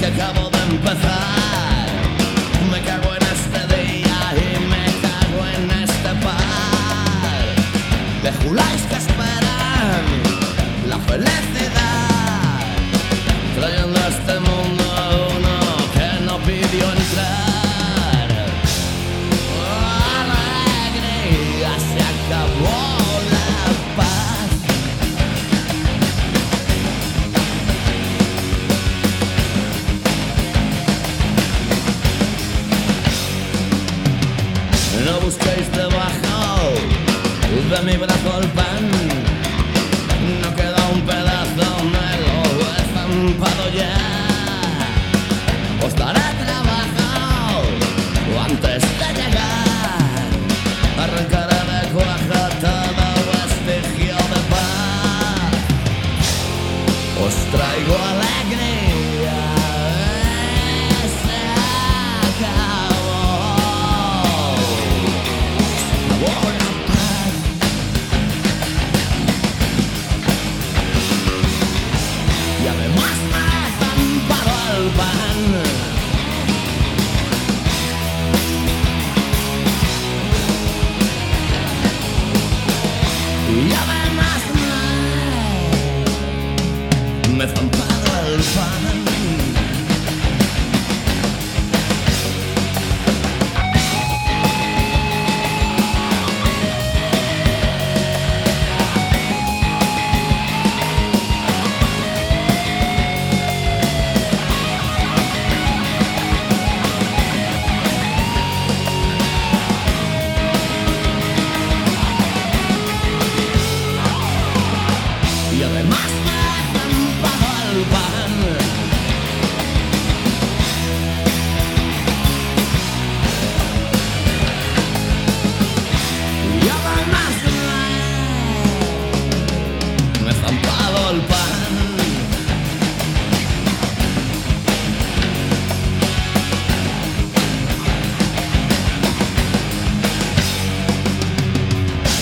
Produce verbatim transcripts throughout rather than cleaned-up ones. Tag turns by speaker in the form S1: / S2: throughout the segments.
S1: que acabo de empezar. Me cago en este día y me cago en este par de juláis que esperan la felicidad, trayendo a este mundo a uno que no pidió entrar. Alegría, se acabó la paz. No busquéis debajo de mi brazo el pan, no queda un pedazo, me lo he zampado ya. Os daré trabajo antes de llegar, arrancaré de cuajo todo vestigio de paz. Os traigo alegría, se acabó, se acabó la paz. Y además me he zampado el pan. Y además me, me he zampado el pan. Y además me he zampado el pan. Y además me, me he zampado el pan.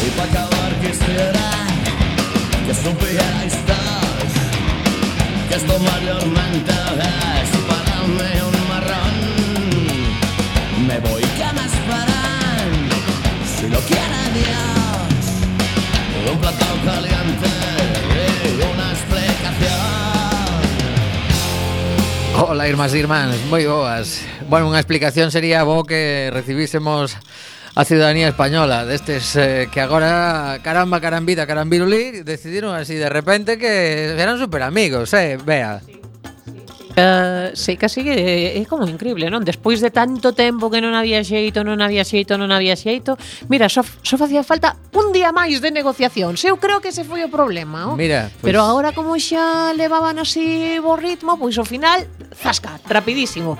S1: Y para acabar quisiera que supierais todos que esto mayormente es para mí un marrón. Me voy, que me esperan, si lo quiere Dios, un plato caliente y una explicación.
S2: Hola, irmás e irmáns, moi boas. Bueno, unha explicación sería bo que recibísemos a ciudadanía española destes eh, que agora, caramba, carambita, carambirulí, decidiron así de repente que eran super amigos, eh, vea.
S3: Uh, sí, casi é, é como increíble, non? Despois de tanto tempo que non había xeito, non había xeito, non había xeito, mira, só, só facía falta un día máis de negociación. Eu creo que ese foi o problema, oh?
S2: Mira, pues...
S3: Pero agora como xa levaban así o ritmo, pois ao final, zasca, rapidísimo.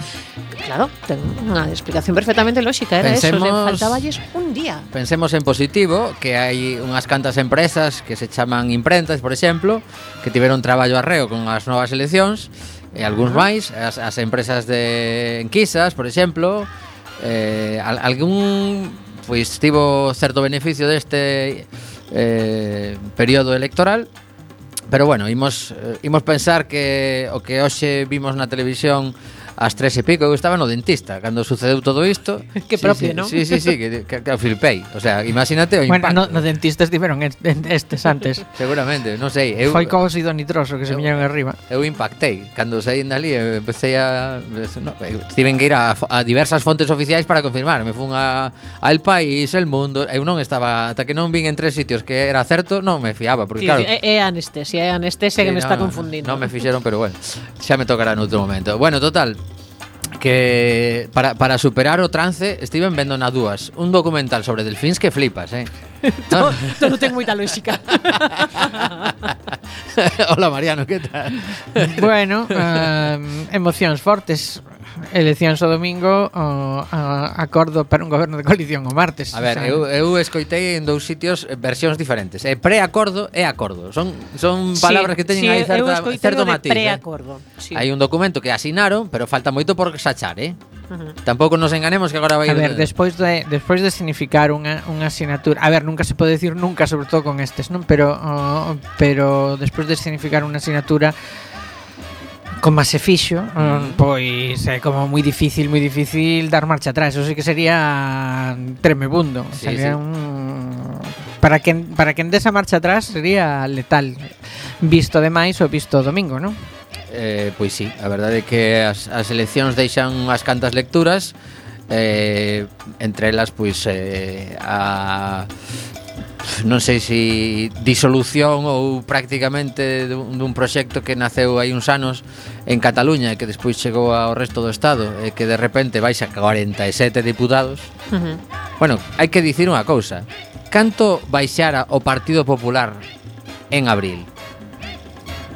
S3: Claro, ten unha explicación perfectamente lógica, era
S2: Pensemos...
S3: eso, le faltaballes un día.
S2: Pensemos en positivo, que hai unhas cantas empresas que se chaman imprentas, por exemplo, que tiveron traballo arreo con as novas eleccións, e algúns máis, as, as empresas de enquisas, por exemplo, eh, algún pois tivo certo beneficio deste eh, período electoral, pero bueno, imos, imos pensar que o que hoxe vimos na televisión ás tres e pico, eu estaba no dentista cando sucedeu todo isto.
S3: Que
S2: sí,
S3: propio,
S2: sí,
S3: non?
S2: Sí, sí, sí, que, que, que flipei. O sea, imagínate o impacto.
S4: Bueno, no, no dentistas tiveron estes antes.
S2: Seguramente, non sei. Eu,
S4: Foi co óxido nitroso que se viñeron arriba.
S2: Eu impactei. Cando saí dali, empecé a... No, tiven que ir a, a diversas fontes oficiais para confirmar. Me fun a, a El País, El Mundo. Eu non estaba... Ata que non vin en tres sitios que era certo, non me fiaba. Porque,
S3: Sí,
S2: claro,
S3: sí, é anestesia, é anestesia sí, que me no, está confundindo.
S2: Non me fixeron, pero bueno, xa me tocará no outro momento. Bueno, total, que para, para superar o trance estiven vendo na dúas un documental sobre delfíns que flipas, eh?
S3: Todo, todo ten moita lógica.
S2: Hola Mariano, que tal?
S4: Bueno, uh, emocións fortes. Eleccións o domingo, o a, acordo para un goberno de coalición o martes.
S2: A ver, o sea, eu, eu escoitei en dous sitios versións diferentes. É preacordo e acordo. Son son palabras sí, que teñen
S3: sí,
S2: aí certa, certo matiz.
S3: Preacordo.
S2: Eh?
S3: Sí.
S2: Hai un documento que asinaron, pero falta moito por sachar, eh? Uh-huh. Tampouco nos enganemos que agora vai...
S4: A ver, despois de despois de significar unha unha asignatura, a ver, nunca se pode decir nunca, sobre todo con estes, non? Pero oh, pero despois de significar unha asignatura como se fixo, mm. pois é como moi difícil, moi difícil dar marcha atrás. Eso sí que sería tremebundo.
S2: Sí,
S4: sería
S2: sí.
S4: un para quen para quen desa marcha atrás sería letal. Visto demais o visto o domingo, non?
S2: Eh, pois sí, a verdade é que as, as eleccións deixan unhas cantas lecturas, eh, entre elas pois eh, a non sei se disolución ou prácticamente dun, dun proxecto que naceu hai uns anos en Cataluña e que despois chegou ao resto do Estado e que de repente vais a cuarenta e sete diputados.
S3: Uh-huh.
S2: Bueno, hai que dicir unha cousa. Canto baixara o Partido Popular en abril?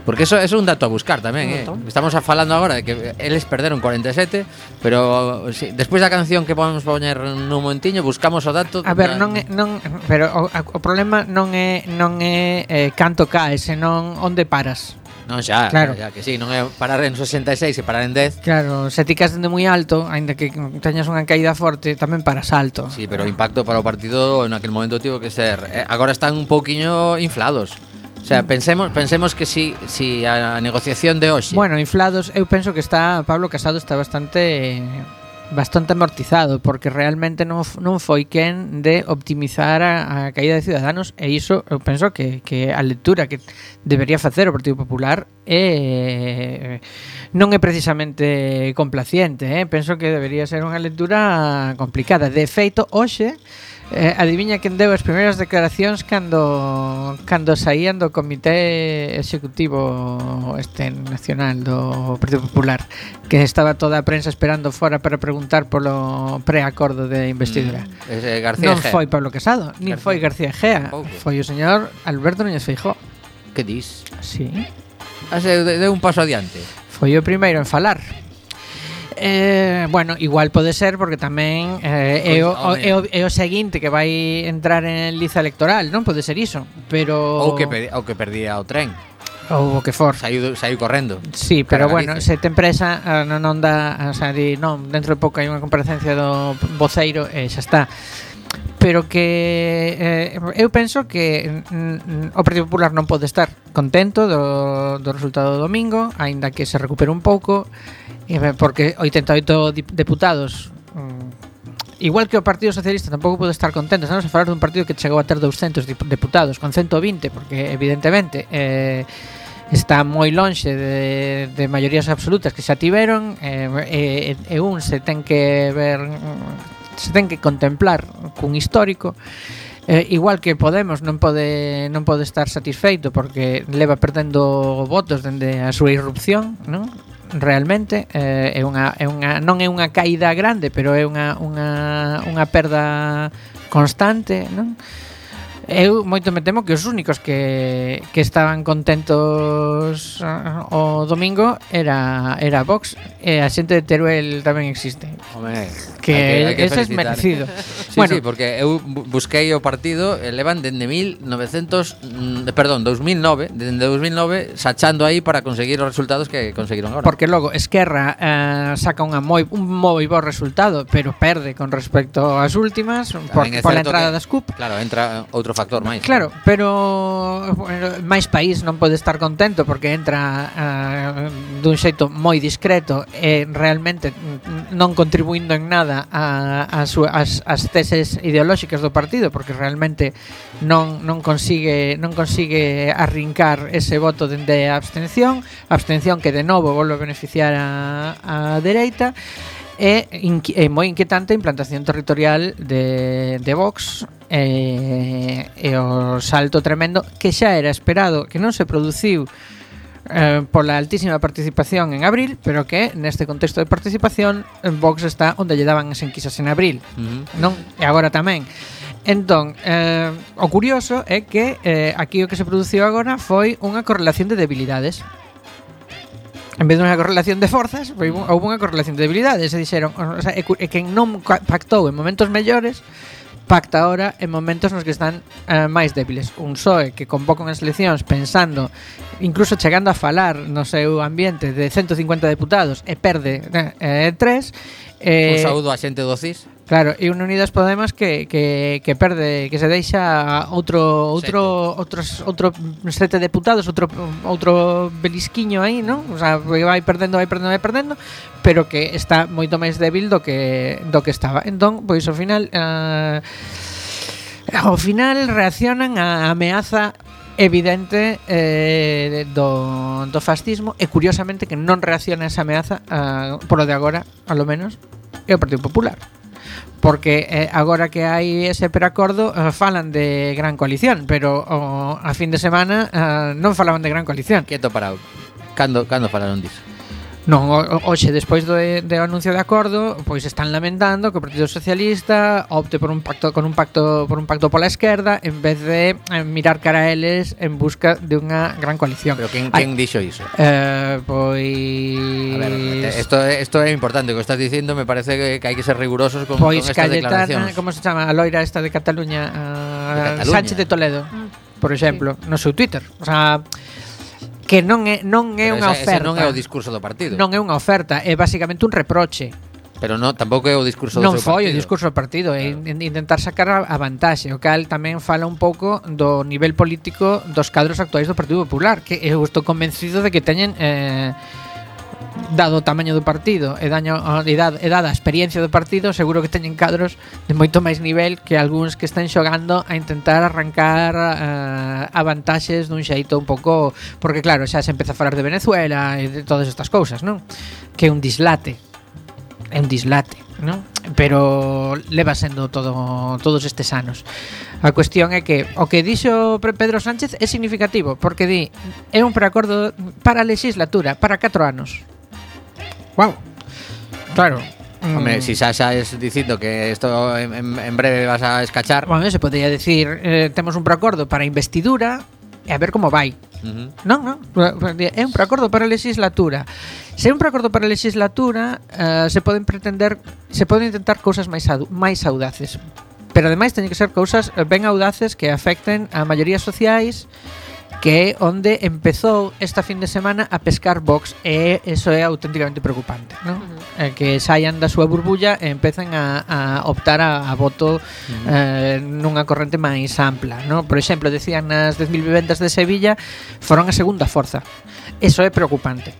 S2: Porque eso, eso é un dato a buscar tamén, eh? Estamos a falando agora de que eles perderon cuarenta e sete, pero sí, despois da canción que vamos poñer nun momentiño buscamos o dato.
S4: A ver, non é, non, pero o, o problema non é non é eh, canto cae, senón onde paras.
S2: Non xa,
S4: claro.
S2: xa, que sí, non é parar en sesenta e seis e parar en dez.
S4: Claro, se ti caes dende moi alto, aínda que teñas unha caída forte, tamén paras alto.
S2: Sí, pero o impacto para o partido en aquel momento tivo que ser, eh, agora están un pouquiño inflados. O sea, pensemos pensemos que si si a negociación de hoxe.
S4: Bueno, inflados, eu penso que está Pablo Casado está bastante bastante amortizado, porque realmente non non foi quen de optimizar a, a caída de Ciudadanos, e iso eu penso que que a lectura que debería facer o Partido Popular é non é precisamente complaciente, eh? Penso que debería ser unha lectura complicada. De feito, hoxe Eh, adiviña quen deu as primeiras declaracións cando cando saían do Comité Executivo este nacional do Partido Popular, que estaba toda a prensa esperando fora para preguntar polo preacordo de investidura.
S2: Mm, ese García
S4: non
S2: Egea.
S4: foi Pablo Casado, nin
S2: García.
S4: foi García Egea,
S2: Pouco.
S4: foi o señor Alberto Núñez Feijóo.
S2: Que dis?
S4: Sí,
S2: Ase deu un paso adiante.
S4: foi o primeiro en falar. Eh, bueno, igual pode ser porque tamén eh, é, o, o, é, o, é o seguinte que vai entrar en liza electoral, non pode ser iso, pero
S2: Ou que pedi, ou que perdía o tren.
S4: ou o que for.
S2: Saiu saiu correndo.
S4: Sí, pero
S2: Cara
S4: bueno,
S2: Galicia.
S4: se te empresa eh, non onda, o sea, di, non, dentro de pouco hai unha comparecencia do voceiro e xa está. Pero que eh, eu penso que mm, o Partido Popular non pode estar contento do, do resultado do domingo, aínda que se recupere un pouco, porque oitenta e oito diputados, igual que o Partido Socialista, tampouco pode estar contento. Estamos a falar dun partido que chegou a ter douscentos diputados con ciento vinte, porque evidentemente eh, está moi lonxe de, de maiorías absolutas que xa tiveron, e, e, e un se ten que ver, se ten que contemplar cun histórico. Eh, igual que Podemos non pode non pode estar satisfeito porque leva perdendo votos dende a súa irrupción, non? Realmente eh, é unha é unha non é unha caída grande, pero é unha unha unha perda constante, non? Eu moito me temo que os únicos que, que estaban contentos uh, o domingo era era Vox, e a xente de Teruel tamén existe.
S2: Home,
S4: Que,
S2: hai que, hai que
S4: ese es
S2: felicitar.
S4: merecido.
S2: Sí,
S4: Bueno,
S2: sí, porque eu bu- busquei o partido e levan dende mil novecentos, mm, perdón, dos mil nove, dende dos mil nove sachando aí para conseguir os resultados que conseguiron agora.
S4: porque logo Esquerra eh, saca unha moi un moi bo resultado, pero perde con respecto ás últimas por,
S2: Tamén é
S4: por la
S2: certo
S4: entrada
S2: que-
S4: das C U P.
S2: Claro, entra outro factor máis.
S4: Claro, pero bueno, máis país non pode estar contento porque entra uh, dun xeito moi discreto e realmente mm, non contribuindo en nada a, a su, as, as teses ideolóxicas do partido, porque realmente non non consigue non consigue arrincar ese voto dende a abstención, abstención que de novo volve a beneficiar a, a dereita. É, inqui- é moi inquietante a implantación territorial de, de Vox e, e o salto tremendo que xa era esperado, que non se produciu eh, pola altísima participación en abril, pero que neste contexto de participación en Vox está onde lle daban as enquisas en abril,
S2: Uh-huh.
S4: non? E agora tamén. Entón, eh, o curioso é que eh, aquí o que se produciu agora foi unha correlación de debilidades. En vez de unha correlación de forzas, foi un- houve unha correlación de debilidades. Se dixeron, o sea, e, cu- e quen non ca- pactou en momentos mellores, pacta ahora en momentos nos que están eh, máis débiles. Un P S O E que convoca unhas eleccións pensando, incluso chegando a falar no seu ambiente de ciento cincuenta deputados e perde eh, tres.
S2: Un
S4: Eh,
S2: saúdo a xente do C I S.
S4: Claro, e un Unidas Podemos que, que, que perde, que se deixa outro outro sete. outros outro sete deputados, outro outro belisquiño aí, non? O sea, vai perdendo, vai perdendo, vai perdendo, pero que está moito máis débil do que do que estaba. Entón, pois ao final uh, ao final reaccionan á ameaza evidente eh, do, do fascismo e curiosamente que non reacciona a esa ameaza uh, por o de agora, alo menos, é o Partido Popular. Porque eh, agora que hai ese preacordo eh, falan de gran coalición, pero oh, a fin de semana eh, non falaban de gran coalición.
S2: Quieto parado. Cando, cando falaron disso?
S4: Non, hoxe, despois do, do anuncio de acordo, pois están lamentando que o Partido Socialista opte por un pacto con un pacto por un pacto pola esquerda en vez de eh, mirar cara a eles en busca de unha gran coalición.
S2: Pero quen, quen dixo iso?
S4: Eh, pois
S2: A ver, esto, esto é importante, o que estás dicindo, me parece que, que hai que ser rigurosos con,
S4: pois
S2: con estas
S4: Cayetana,
S2: declaracións.
S4: como se chama? A loira esta de Cataluña, uh,
S2: de Cataluña.
S4: Sánchez de Toledo, por exemplo, sí. No seu Twitter. O sea, que non é non é
S2: Pero
S4: unha
S2: ese,
S4: oferta.
S2: ese non é o discurso do partido.
S4: Non é unha oferta, é basicamente un reproche.
S2: Pero no, tampouco é o discurso do
S4: non
S2: seu
S4: foi
S2: partido.
S4: o discurso do partido, é claro. Intentar sacar a, a vantaxe, o cal tamén fala un pouco do nivel político dos cadros actuais do Partido Popular, que eu estou convencido de que teñen eh, dado o tamaño do partido e, daño, e, dada, e dada a experiencia do partido, seguro que teñen cadros de moito máis nivel que algúns que están xogando a intentar arrancar uh, a vantaxes dun xeito un pouco, porque claro, xa se empeza a falar de Venezuela e de todas estas cousas, non? Que é un dislate. É un dislate, non? Pero leva sendo todo todos estes anos. A cuestión é que o que dixo Pedro Sánchez é significativo, porque di, é un preacordo para a legislatura, para catro anos. Wow. Claro.
S2: Hombre, mm. si xa xa es dicindo que isto en, en breve vas a escachar.
S4: Bueno, se podría decir, eh, temos un preacordo para a investidura e a ver como vai.
S2: Uh-huh.
S4: Non, non, é un preacordo para a legislatura. Se é un preacordo para a legislatura, uh, se poden pretender, se poden intentar cousas máis máis audaces. Pero ademais teñen que ser cousas ben audaces que afecten a maiorías sociais, que é onde empezou esta fin de semana a pescar Vox, e eso é auténticamente preocupante, non? Uh-huh. Eh, que saian da súa burbulla e empecen a, a optar a, a voto uh-huh. eh, nunha corrente máis ampla, non? Por exemplo, decían nas dez mil vivendas de Sevilla foron a segunda forza. Eso é preocupante.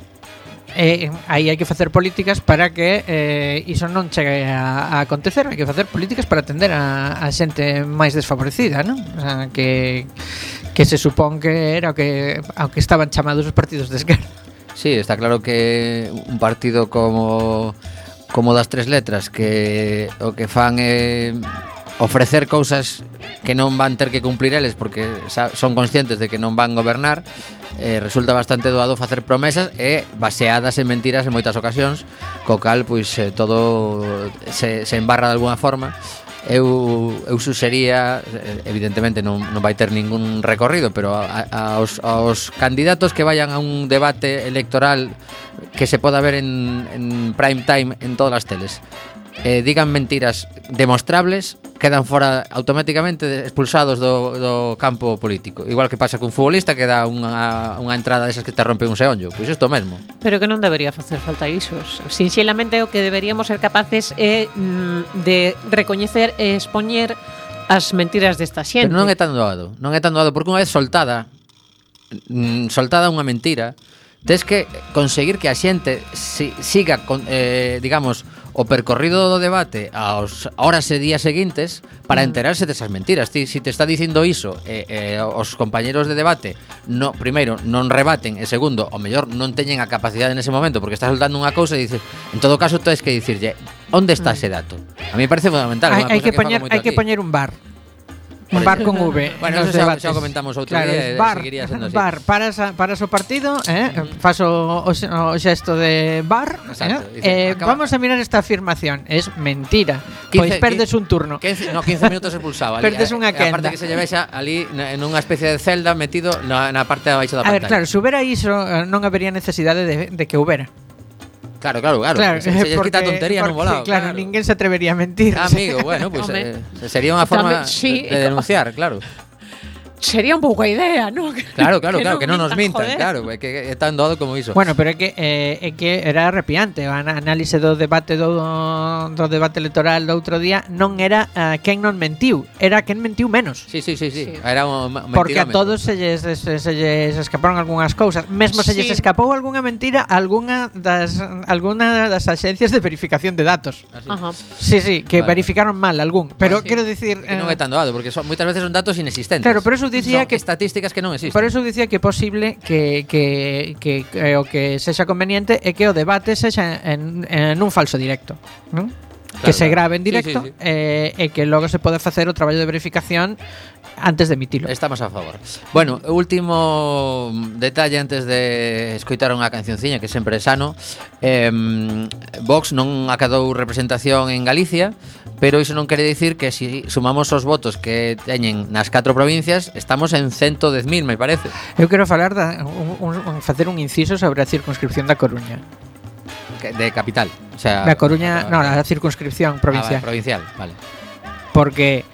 S4: E aí hai que facer políticas para que eh, iso non chegue a, a acontecer. Hai que facer políticas para atender a, a xente máis desfavorecida, non? O sea, que, que se supón que era o que, ao que estaban chamados os partidos de esquerda.
S2: Sí, está claro que un partido como como das tres letras, que o que fan é ofrecer cousas que non van ter que cumplir eles porque son conscientes de que non van gobernar, eh, resulta bastante doado facer promesas e baseadas en mentiras en moitas ocasións, co cal pois eh, todo se, se embarra de alguna forma. Eu, eu suxería, evidentemente non, non vai ter ningún recorrido, pero a, a, aos, aos candidatos que vayan a un debate electoral que se poda ver en, en prime time en todas as teles, eh, digan mentiras demostrables, quedan fora automáticamente expulsados do, do campo político. Igual que pasa cun futbolista que dá unha, unha entrada desas que te rompe un seonllo. Pois isto mesmo.
S3: Pero que non debería facer falta iso. Sinxelamente o que deberíamos ser capaces é mm, de recoñecer e expoñer as mentiras desta xente.
S2: Pero non é tan doado. Non é tan doado porque unha vez soltada mm, soltada unha mentira, tes que conseguir que a xente si, siga con, eh, digamos, o percorrido do debate aos horas e días seguintes para enterarse desas mentiras. Ti, si te está dicindo iso, eh, eh, os compañeros de debate no, primeiro, non rebaten, e segundo, o mellor non teñen a capacidade nese momento porque está soltando unha cousa e dices, en todo caso tens que dicirlle, onde está ese dato? A mí me parece fundamental.
S4: Hai, hai que, que poñer, hai que poñer un bar. Un bar con V.
S2: Bueno, eso xa, xa comentamos outro
S4: claro,
S2: día,
S4: bar,
S2: seguiría sendo así.
S4: Bar, paras, a, paras o partido, eh, fas o, o, o xesto de bar,
S2: exacto,
S4: eh,
S2: dice,
S4: eh,
S2: acaba...
S4: vamos a mirar esta afirmación. Es mentira. Pois pues perdes un turno.
S2: quince, no, quince minutos expulsado.
S4: Perdes unha quenda.
S2: Aparte que se lleve xa ali en unha especie de celda metido na, na parte de abaixo da pantalla.
S4: A ver, claro, se houbera iso, non habería necesidade de, de que houbera.
S2: Claro, claro, claro.
S4: claro
S2: se, se porque, quita tontería
S4: porque,
S2: no volado.
S4: Claro, claro, ninguén se atrevería a mentir.
S2: Ah, amigo, bueno, pues eh, sería unha forma
S3: Tamén, sí,
S2: de denunciar, claro.
S3: sería un pouco a idea, ¿no?
S2: Claro, claro, claro, que non nos mintan,
S3: joder.
S2: claro, é que é tan doado como iso.
S4: Bueno, pero é que eh, é que era arrepiante. A análise do debate do, do debate electoral do outro día non era uh, quen non mentiu, era quen mentiu menos.
S2: Sí, sí, sí, sí.
S3: Sí.
S2: Era un, un
S4: Porque a
S2: mentirómetro.
S4: todos se lles, se, se lles escaparon algunhas cousas. Mesmo se lles
S3: Sí.
S4: escapou algunha mentira a algunha das algunha das axencias de verificación de datos.
S2: Así.
S3: Ajá.
S4: Sí, sí, que
S2: Vale.
S4: verificaron mal algún. Pero
S2: Sí.
S4: quero dicir,
S2: Que non é tan doado, porque son, moitas veces son datos inexistentes.
S4: claro, por eso dicía
S2: Son
S4: que
S2: estadísticas que non existen.
S4: por eso dicía que é posible que, que, que, que o que sexa conveniente é que o debate sexa en, en un falso directo, ¿non? Que se
S2: claro.
S4: grave en
S2: Sí,
S4: directo
S2: sí, sí.
S4: eh, e que logo se pode facer o traballo de verificación antes de emitilo.
S2: Estamos a favor. Bueno, o último detalle antes de escoitar unha cancionciña que sempre é sano. eh, Vox non acadou representación en Galicia, pero iso non quere dicir que si sumamos os votos que teñen nas catro provincias, estamos en ciento dez mil, me parece.
S4: Eu quero falar da, un, un, un, facer un inciso sobre a circunscripción da Coruña.
S2: Que- De capital. O sea,
S4: Da Coruña,
S2: ah,
S4: non, a circunscripción provincial.
S2: Ah, vale, provincial, vale.
S4: Porque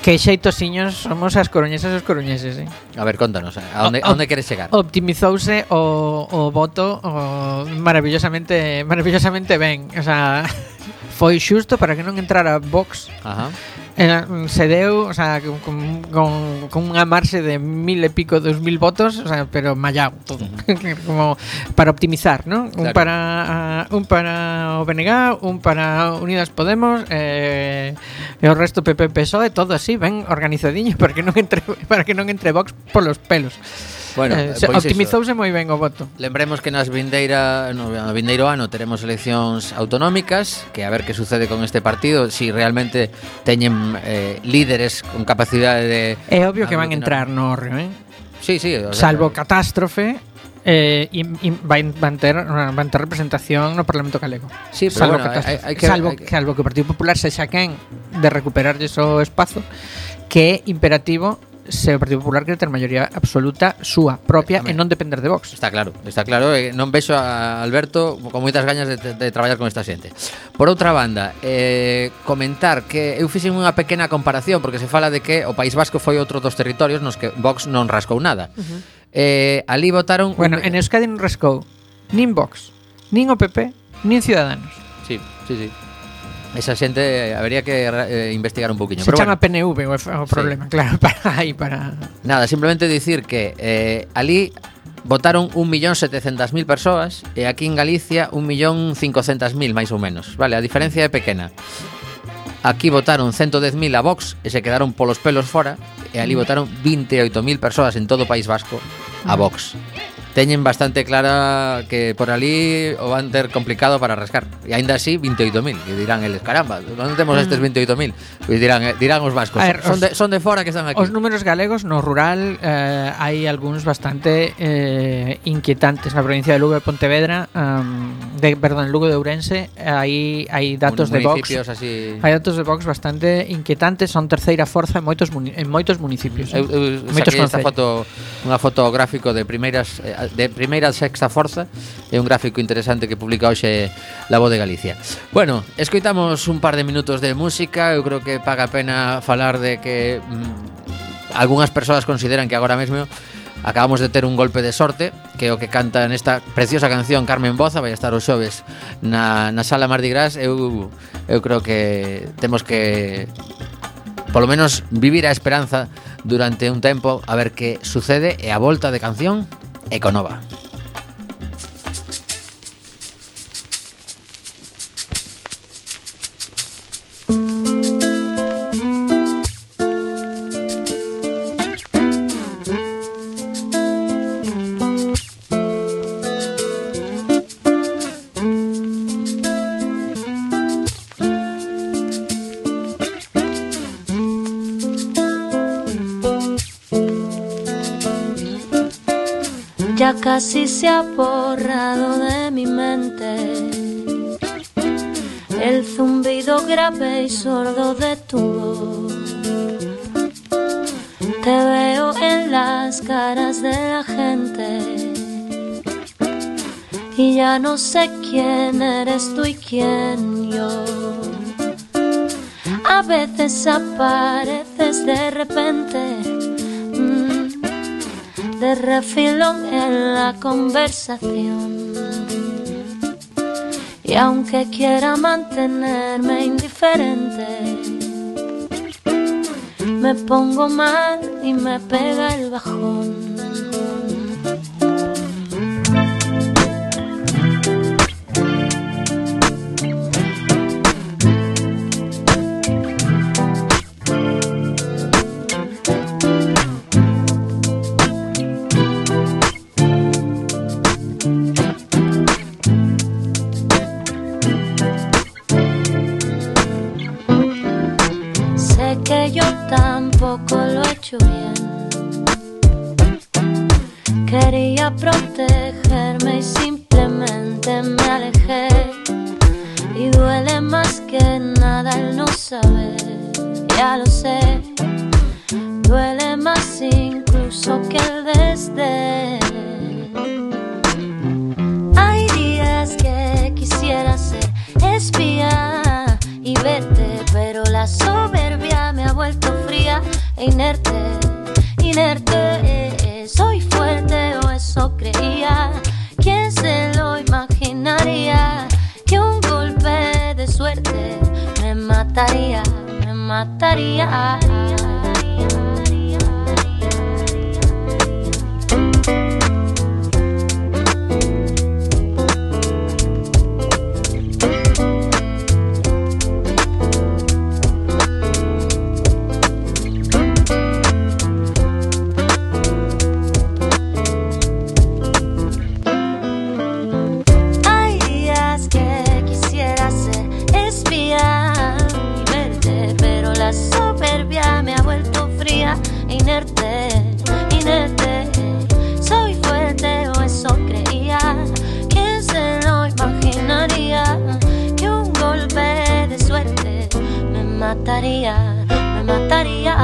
S4: que xeitosiños somos as coruñesas e os coruñeses, eh?
S2: A ver, contanos, a onde,
S4: O-
S2: a onde queres chegar?
S4: Optimizouse o, o voto o maravillosamente maravillosamente ben. O sea, foi xusto para que non entrara Vox.
S2: Ajá.
S4: Eh, se deu, o sea, con, con, con unha marxe de mil e pico, dos mil votos, o sea, pero mallado todo. Como para optimizar, ¿no? Un
S2: Claro.
S4: para uh, un para o B N G, un para Unidas Podemos, eh, e o resto P P P S O E, todo así, ben organizadiño para que non entre para que non entre Vox polos pelos.
S2: Bueno,
S4: eh,
S2: eh,
S4: se,
S2: pois iso.
S4: optimizouse moi ben o voto.
S2: Lembremos que nas vindeira, no, no vindeiro ano teremos eleccións autonómicas, que a ver que sucede con este partido, si realmente teñen eh, líderes con capacidade de...
S4: É obvio que van
S2: aglutinar.
S4: entrar no Orrio, eh?
S2: Sí, sí, o sea,
S4: Salvo catástrofe, eh, y, y van, van, ter, van ter representación no Parlamento Galego.
S2: Sí, pero
S4: Salvo,
S2: bueno,
S4: catástrofe.
S2: hai- hai que-
S4: salvo,
S2: hai que-
S4: salvo que o Partido Popular sexa quen de recuperarlle o espazo, que é imperativo se o Partido Popular quere ter maioría absoluta súa propia
S2: Tamén.
S4: e non depender de Vox.
S2: Está claro, está claro, eh, non vexo a Alberto con moitas gañas de, de, de traballar con esta xente. Por outra banda, eh, comentar que eu fixen unha pequena comparación porque se fala de que o País Vasco foi outro dos territorios nos que Vox non rascou nada. Uh-huh. eh, ali votaron
S4: Bueno,
S2: un...
S4: en Euskadi non rascou nin Vox, nin o P P, nin Ciudadanos.
S2: Sí, sí, sí. Esa xente eh, habería que eh, investigar un poquinho.
S4: Se
S2: Pero
S4: chama
S2: bueno,
S4: P N V o, o problema, claro, para aí para
S2: nada, simplemente dicir que eh, ali votaron un millón setecientas mil persoas e aquí en Galicia un millón cincocentas mil máis ou menos. Vale, a diferencia é pequena. Aquí votaron ciento dez mil a Vox e se quedaron polos pelos fora e ali votaron veintioito mil persoas en todo o País Vasco a Vox. Teñen bastante clara que por ali o van ter complicado para rascar. E aínda así, veintioito mil. E dirán eles, caramba, onde temos estes veintioito mil? Pois dirán, eh, dirán os vascos,
S4: A ver,
S2: son,
S4: os-
S2: de, son de fora que están aquí.
S4: Os números galegos no rural eh, hai algúns bastante eh, inquietantes. Na provincia de Lugo e Pontevedra, um, de, perdón, Lugo de Ourense, hai hai datos de Vox.
S2: Municipios así...
S4: Hai datos de Vox bastante inquietantes, son terceira forza en moitos muni- en moitos municipios.
S2: Eu, eu
S4: moitos
S2: saquei esta
S4: concellos.
S2: foto, unha foto gráfico de primeiras eh, de primeira a sexta forza, é un gráfico interesante que publica hoxe La Voz de Galicia. Bueno, escoitamos un par de minutos de música, eu creo que paga a pena falar de que mm, algunhas persoas consideran que agora mesmo acabamos de ter un golpe de sorte, que é o que canta nesta preciosa canción Carmen Boza, vai estar os xoves na, na sala Mardi Gras. Eu, eu creo que temos que polo menos vivir a esperanza durante un tempo a ver que sucede e a volta de canción Econova.
S5: Ya casi se ha borrado de mi mente el zumbido grave y sordo de tu voz. Te veo en las caras de la gente y ya no sé quién eres tú y quién yo. A veces apareces de repente de refilón en la conversación. Y aunque quiera mantenerme indiferente, me pongo mal y me pega el bajón. Tampoco lo he hecho bien. Quería protegerme y simplemente me alejé. Y duele más que nada el no saber, ya lo sé. Duele más incluso que el desdén. Hay días que quisiera ser espía y verte, pero la soberbia me ha vuelto fría e inerte, inerte. Soy fuerte o eso creía. ¿Quién se lo imaginaría? Que un golpe de suerte me mataría, me mataría. Inerte, inerte, soy fuerte o eso creía. ¿Quién se lo imaginaría? Que un golpe de suerte me mataría, me mataría.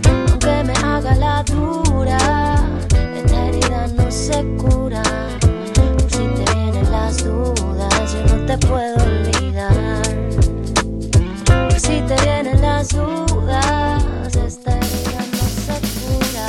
S5: Aunque me haga la dura, esta herida no se cura. Por si te vienen las dudas, yo no te puedo olvidar. Por si te vienen las dudas, esta herida no se cura.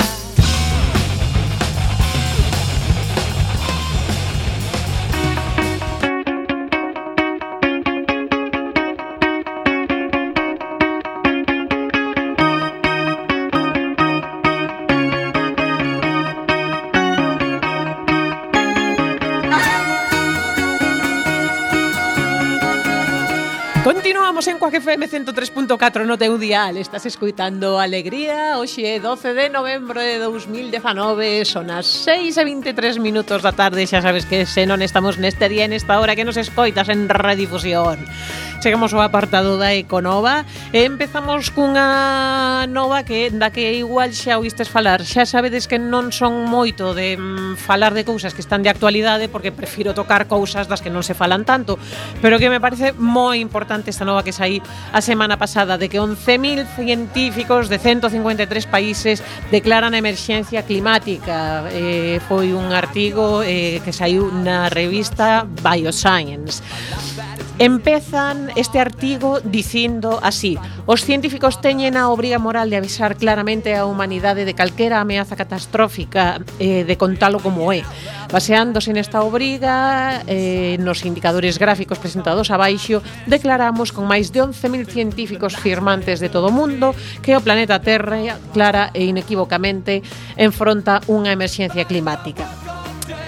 S3: Continuamos en Quack F M ciento tres punto catro no teu dial. Estás escuitando Alegría. Hoxe é doce de novembro de dos mil dezenove. Son as seis e vinte e tres minutos da tarde. Xa sabes que se non estamos neste día, nesta hora que nos escoitas en redifusión. Chegamos ao apartado da Econova e empezamos cunha nova que da que igual xa oístes falar. Xa sabedes que non son moito de mm, falar de cousas que están de actualidade, porque prefiro tocar cousas das que non se falan tanto, pero que me parece moi importante esta nova que saí a semana pasada, de que once mil científicos de ciento cincuenta e tres países declaran a emerxencia climática. Eh, foi un artigo eh, que saiu na revista Bioscience. Empezan este artigo dicindo así: os científicos teñen a obriga moral de avisar claramente a humanidade de calquera ameaza catastrófica, eh, de contalo como é. Baseándose nesta obriga, eh, nos indicadores gráficos presentados abaixo, declaramos con máis de once mil científicos firmantes de todo o mundo que o planeta Terra, clara e inequívocamente, enfronta unha emerxencia climática.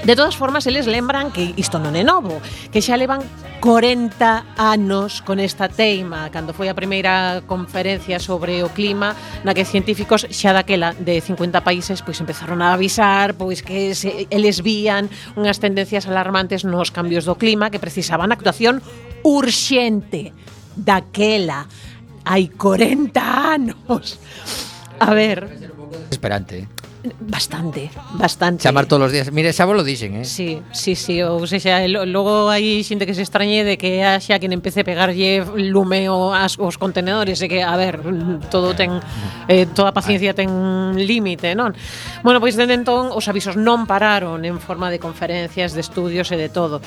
S3: De todas formas, eles lembran que isto non é novo, que xa levan corenta anos con esta teima, cando foi a primeira conferencia sobre o clima, na que científicos xa daquela de cincuenta países pois empezaron a avisar pois que se, eles vían unhas tendencias alarmantes nos cambios do clima que precisaban actuación urxente. Daquela hai corenta anos. A ver,
S2: Esperante.
S3: Bastante, bastante.
S2: Chamar todos os días. Mire, xa vos lo dixen, eh?
S3: Sí, sí, sí, ou seja, lo- logo hai xente que se extrañe de que haxa quen empece a pegarlle lume o as, os contenedores e que, a ver, todo ten eh, toda paciencia ten límite, non? Bueno, pois dende entón os avisos non pararon en forma de conferencias, de estudios e de todo.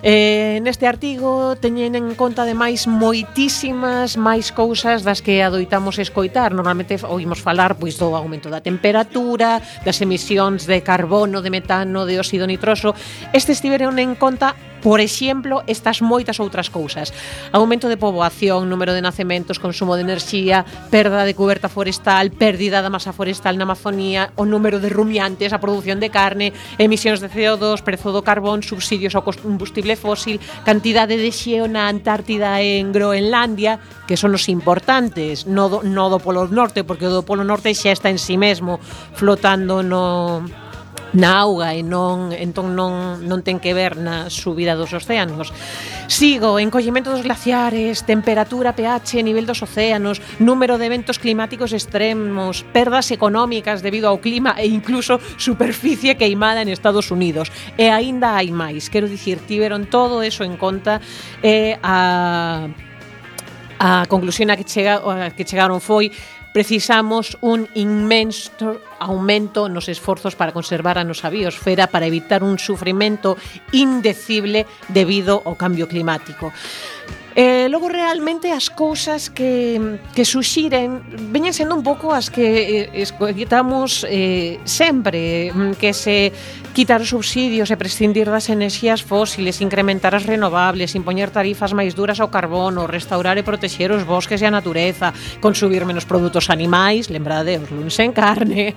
S3: Eh, neste artigo teñen en conta ademais moitísimas máis cousas das que adoitamos escoitar. Normalmente oímos falar pois do aumento da temperatura, das emisións de carbono, de metano, de óxido nitroso. Estes tiveron en conta, por exemplo, estas moitas outras cousas: aumento de poboación, número de nacementos, consumo de enerxía, perda de cuberta forestal, pérdida da masa forestal na Amazonía, o número de rumiantes, a produción de carne, emisións de C O dos, prezo do carbón, subsidios ao combustible fósil, cantidade de xeo na Antártida e en Groenlandia, que son os importantes, no do, no do Polo Norte, porque o do Polo Norte xa está en si mesmo flotando no na auga e non entón non non ten que ver na subida dos océanos. Sigo: encollemento dos glaciares, temperatura, pH, nivel dos océanos, número de eventos climáticos extremos, perdas económicas debido ao clima e incluso superficie queimada en Estados Unidos. E aínda hai máis. Quero dicir, tiveron todo eso en conta e a a conclusión a que chega a que chegaron foi: precisamos un inmenso aumento nos esforzos para conservar a nosa biosfera, para evitar un sufrimento indecible debido ao cambio climático. Eh, logo realmente as cousas que, que suxiren veñen sendo un pouco as que eh, escoitamos eh, sempre, que se quitar os subsidios e prescindir das enerxías fósiles, incrementar as renovables, impoñer tarifas máis duras ao carbono, restaurar e protexer os bosques e a natureza, consumir menos produtos animais, lembrade os luns en carne,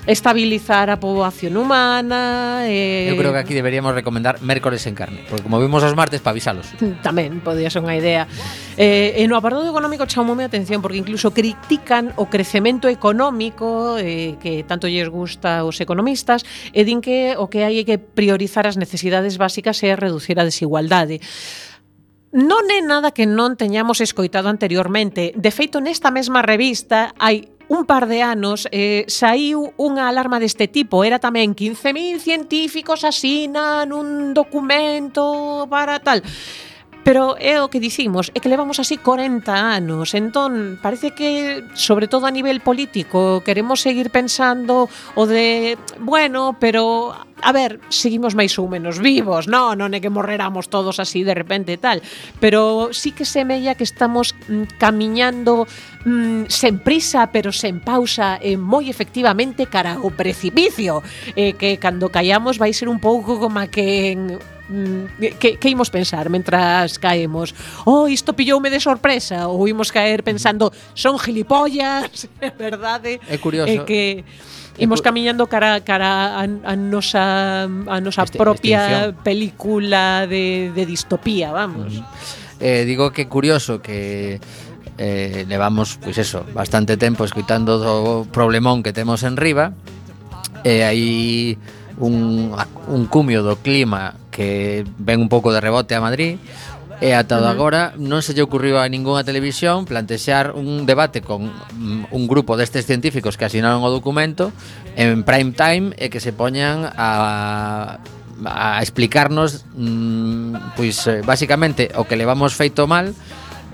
S3: estabilizar a poboación humana. eh,
S2: Eu creo que aquí deberíamos recomendar mércores en carne, porque como vimos os martes, pa avisalos.
S3: Tamén podía ser unha idea. Eh, e no apartado económico chamoume a atención porque incluso critican o crecemento económico eh, que tanto lles gusta aos economistas, e din que o que hai é que priorizar as necesidades básicas e reducir a desigualdade. Non é nada que non teñamos escoitado anteriormente. De feito, nesta mesma revista hai un par de anos eh, saiu unha alarma deste tipo. Era tamén quince mil científicos asinan un documento para tal. Pero é o que dicimos, é que levamos así corenta anos. Entón, parece que, sobre todo a nivel político, queremos seguir pensando o de, bueno, pero a ver, seguimos máis ou menos vivos, non, non é que morreramos todos así de repente e tal, pero sí que semella que estamos mm, camiñando mm, sen prisa, pero sen pausa, e moi efectivamente cara ao precipicio, e que cando callamos vai ser un pouco como a que en Que, que imos pensar mentras caemos? Oh, isto pilloume de sorpresa? Ou imos caer pensando, son gilipollas, é verdade?
S2: É curioso.
S3: É que imos camiñando cara, cara a, a nosa, a nosa
S2: Este-
S3: propia
S2: extinción.
S3: película de, de distopía, vamos.
S2: Eh, digo que curioso que eh, levamos, pois eso, bastante tempo escoitando do problemón que temos en riba, e hai un, un cumio do clima que ven un pouco de rebote a Madrid, e ata uh-huh. agora non se lle ocurriu a ningunha televisión plantexar un debate con mm, un grupo destes científicos que asinaron o documento en prime time e que se poñan a a explicarnos mm, pois eh, basicamente o que levamos feito mal,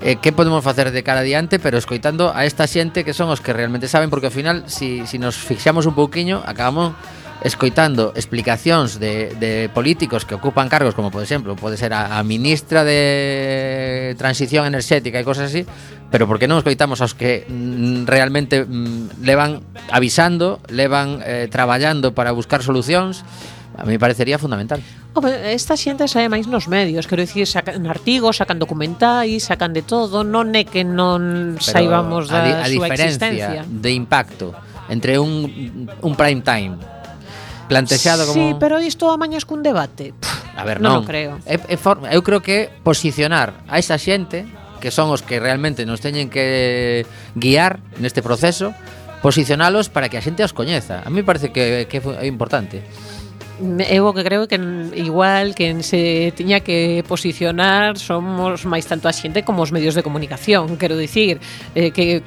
S2: eh, que podemos facer de cara adiante, pero escoitando a esta xente que son os que realmente saben, porque ao final si, si nos fixamos un pouquiño acabamos escoitando explicacións de, de políticos que ocupan cargos como, por exemplo, pode ser a, a ministra de Transición Enerxética e cosas así, pero por que non escoitamos aos que mm, realmente mm, levan avisando, levan eh, traballando para buscar solucións? A mí parecería fundamental.
S3: Home, esta xente sae máis nos medios, quero dicir, sacan artigos, sacan documentais, sacan de todo, non é que non
S2: Pero
S3: saibamos da
S2: a, di- a
S3: súa
S2: diferencia
S3: existencia.
S2: de impacto entre un, un prime time plantexado como...
S3: Sí, pero isto amañas cun debate. Pff,
S2: A ver, non,
S3: non o creo.
S2: É, é for, eu creo que posicionar a esa xente, que son os que realmente nos teñen que guiar neste proceso, posicionalos para que a xente os coñeza. A mí me parece que, que é importante.
S3: eu o que creo que igual quen se tiña que posicionar somos máis tanto a xente como os medios de comunicación, quero dicir, eh, que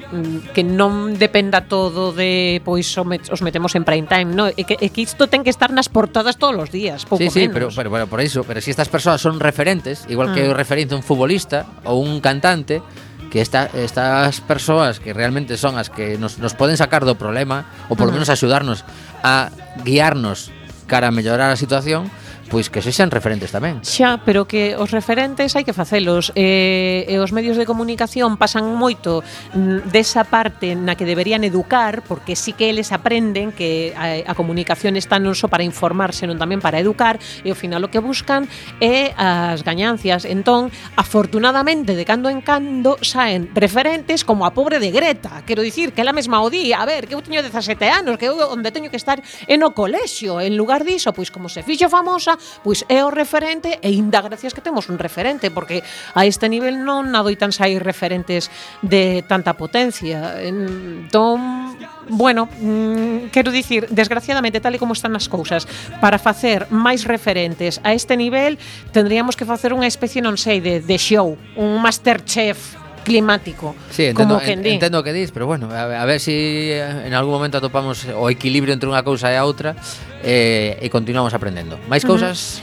S3: que non dependa todo de pois os metemos en prime time, no, e que, e que isto ten que estar nas portadas todos os días, pouco
S2: sí, sí,
S3: menos.
S2: pero, pero, pero por iso, pero si estas persoas son referentes, igual que
S3: Mm.
S2: o referente un futbolista ou un cantante, que esta, estas persoas que realmente son as que nos, nos poden sacar do problema ou polo
S3: Uh-huh.
S2: menos axudarnos a guiarnos cara a mellorar a situación, pois que sexan referentes tamén.
S3: Xa, pero que os referentes hai que facelos e, e os medios de comunicación pasan moito mm, desa parte na que deberían educar, porque sí que eles aprenden que a, a comunicación está non só para informar, senón tamén para educar, e ao final o que buscan é as gañancias. Entón, afortunadamente, de cando en cando saen referentes como a pobre de Greta, quero dicir que ela mesma o di, a ver, que eu teño dezasete anos, que eu onde teño que estar é no colexio, en lugar diso, pois como se fixo famosa, pois é o referente e inda gracias que temos un referente, porque a este nivel non adoitan sair referentes de tanta potencia. Entón, bueno, mm, quero dicir, desgraciadamente, tal e como están as cousas, para facer máis referentes a este nivel, tendríamos que facer unha especie, non sei, de, de show, un Masterchef climático,
S2: Sí, entendo,
S3: como quen
S2: en,
S3: di.
S2: entendo o que dis, pero bueno, a, a ver si en algún momento atopamos o equilibrio entre unha cousa e a outra eh, e continuamos aprendendo. Máis cousas?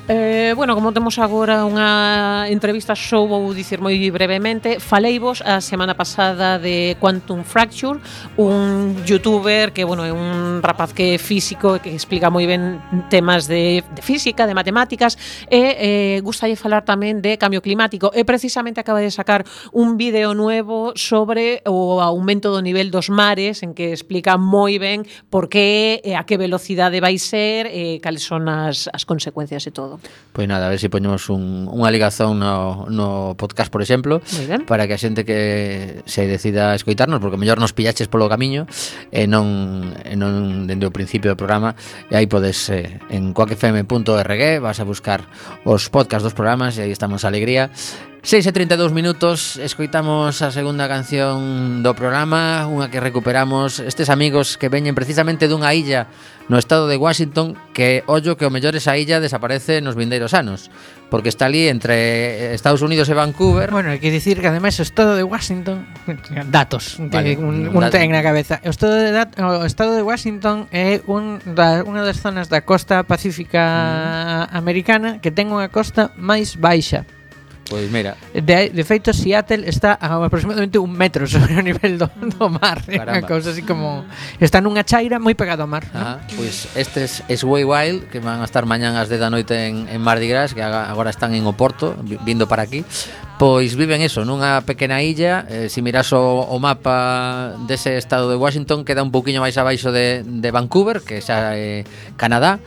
S3: Eh, bueno, como temos agora unha entrevista, só vou dicir moi brevemente. Faleivos a semana pasada de Quantum Fracture, un youtuber que, bueno, é un rapaz que é físico e que explica moi ben temas de, de física, de matemáticas, e eh, gustalle falar tamén de cambio climático, e precisamente acaba de sacar un vídeo nuevo sobre o aumento do nivel dos mares, en que explica moi ben por que e a que velocidade vai ser e cales son as, as consecuencias e todo.
S2: Pois nada, a ver se si poñemos un, unha ligazón no, no podcast, por exemplo,
S3: Moi ben.
S2: para que a xente que se decida a escoitarnos, porque mellor nos pillaches polo camiño e non, e non dende o principio do programa, e aí podes eh, en coac f m punto org vas a buscar os podcasts dos programas e aí estamos a alegría. seis e trinta e dous minutos, escoitamos a segunda canción do programa, unha que recuperamos estes amigos que veñen precisamente dunha illa no estado de Washington, que ollo que o mellor esa illa desaparece nos vindeiros anos, porque está ali entre Estados Unidos e Vancouver.
S4: Bueno, hai que dicir que ademais o estado de Washington, datos,
S2: Vale,
S4: que un,
S2: un
S4: un
S2: dato.
S4: ten na cabeza. O estado de dat, o estado de Washington é un da unha das zonas da costa pacífica mm. americana que ten unha costa máis baixa.
S2: Pois mira,
S4: De, de feito, Seattle está a aproximadamente un metro sobre o nivel do, do mar. É unha
S2: Caramba.
S4: cousa así como... Está nunha chaira moi pegado ao mar.
S2: ajá, pois estes es Way Wild, que van a estar mañán ás dez da noite en, en Mardi Gras, que aga- agora están en Oporto, vi- vindo para aquí. Pois viven eso, nunha pequena illa. eh, Si miras o, o mapa dese estado de Washington, queda un pouquiño máis abaixo de, de Vancouver, que xa é Canadá.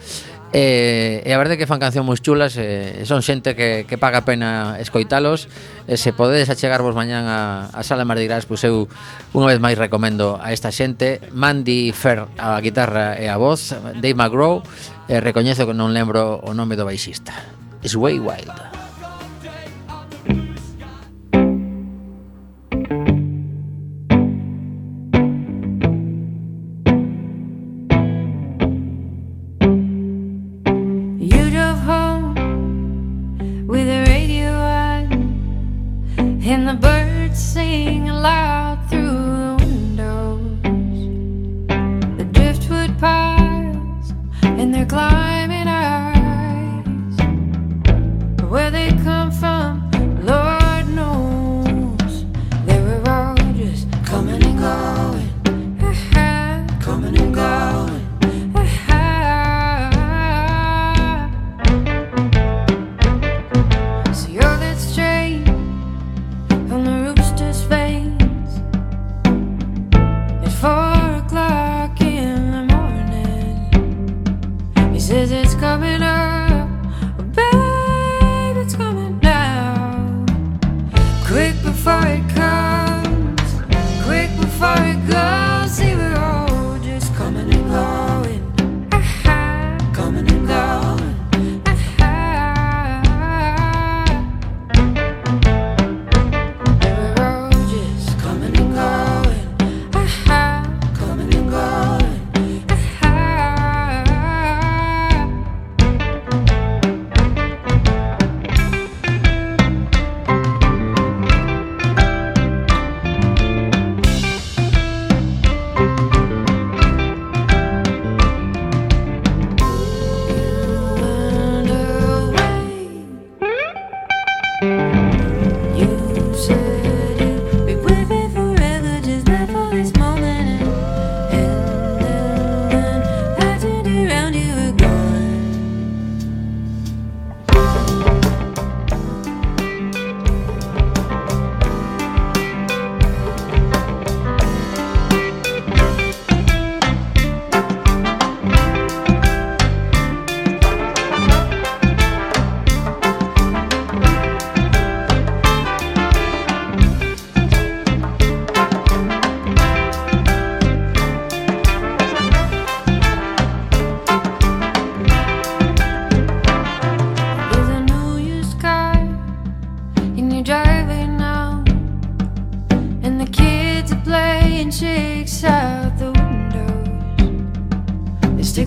S2: E, e a verdade é que fan cancións moi chulas, e son xente que, que paga a pena escoitalos. E se podedes achegarvos mañán a, a Sala Mardi Gras, pois eu unha vez máis recomendo a esta xente. Mandy Fer a guitarra e a voz, Dave McGraw, e recoñezo que non lembro o nome do baixista. Sway Wild.
S6: You drove home with the radio on, and the birds sing loud through the windows. The driftwood piles, and they're climbing eyes, where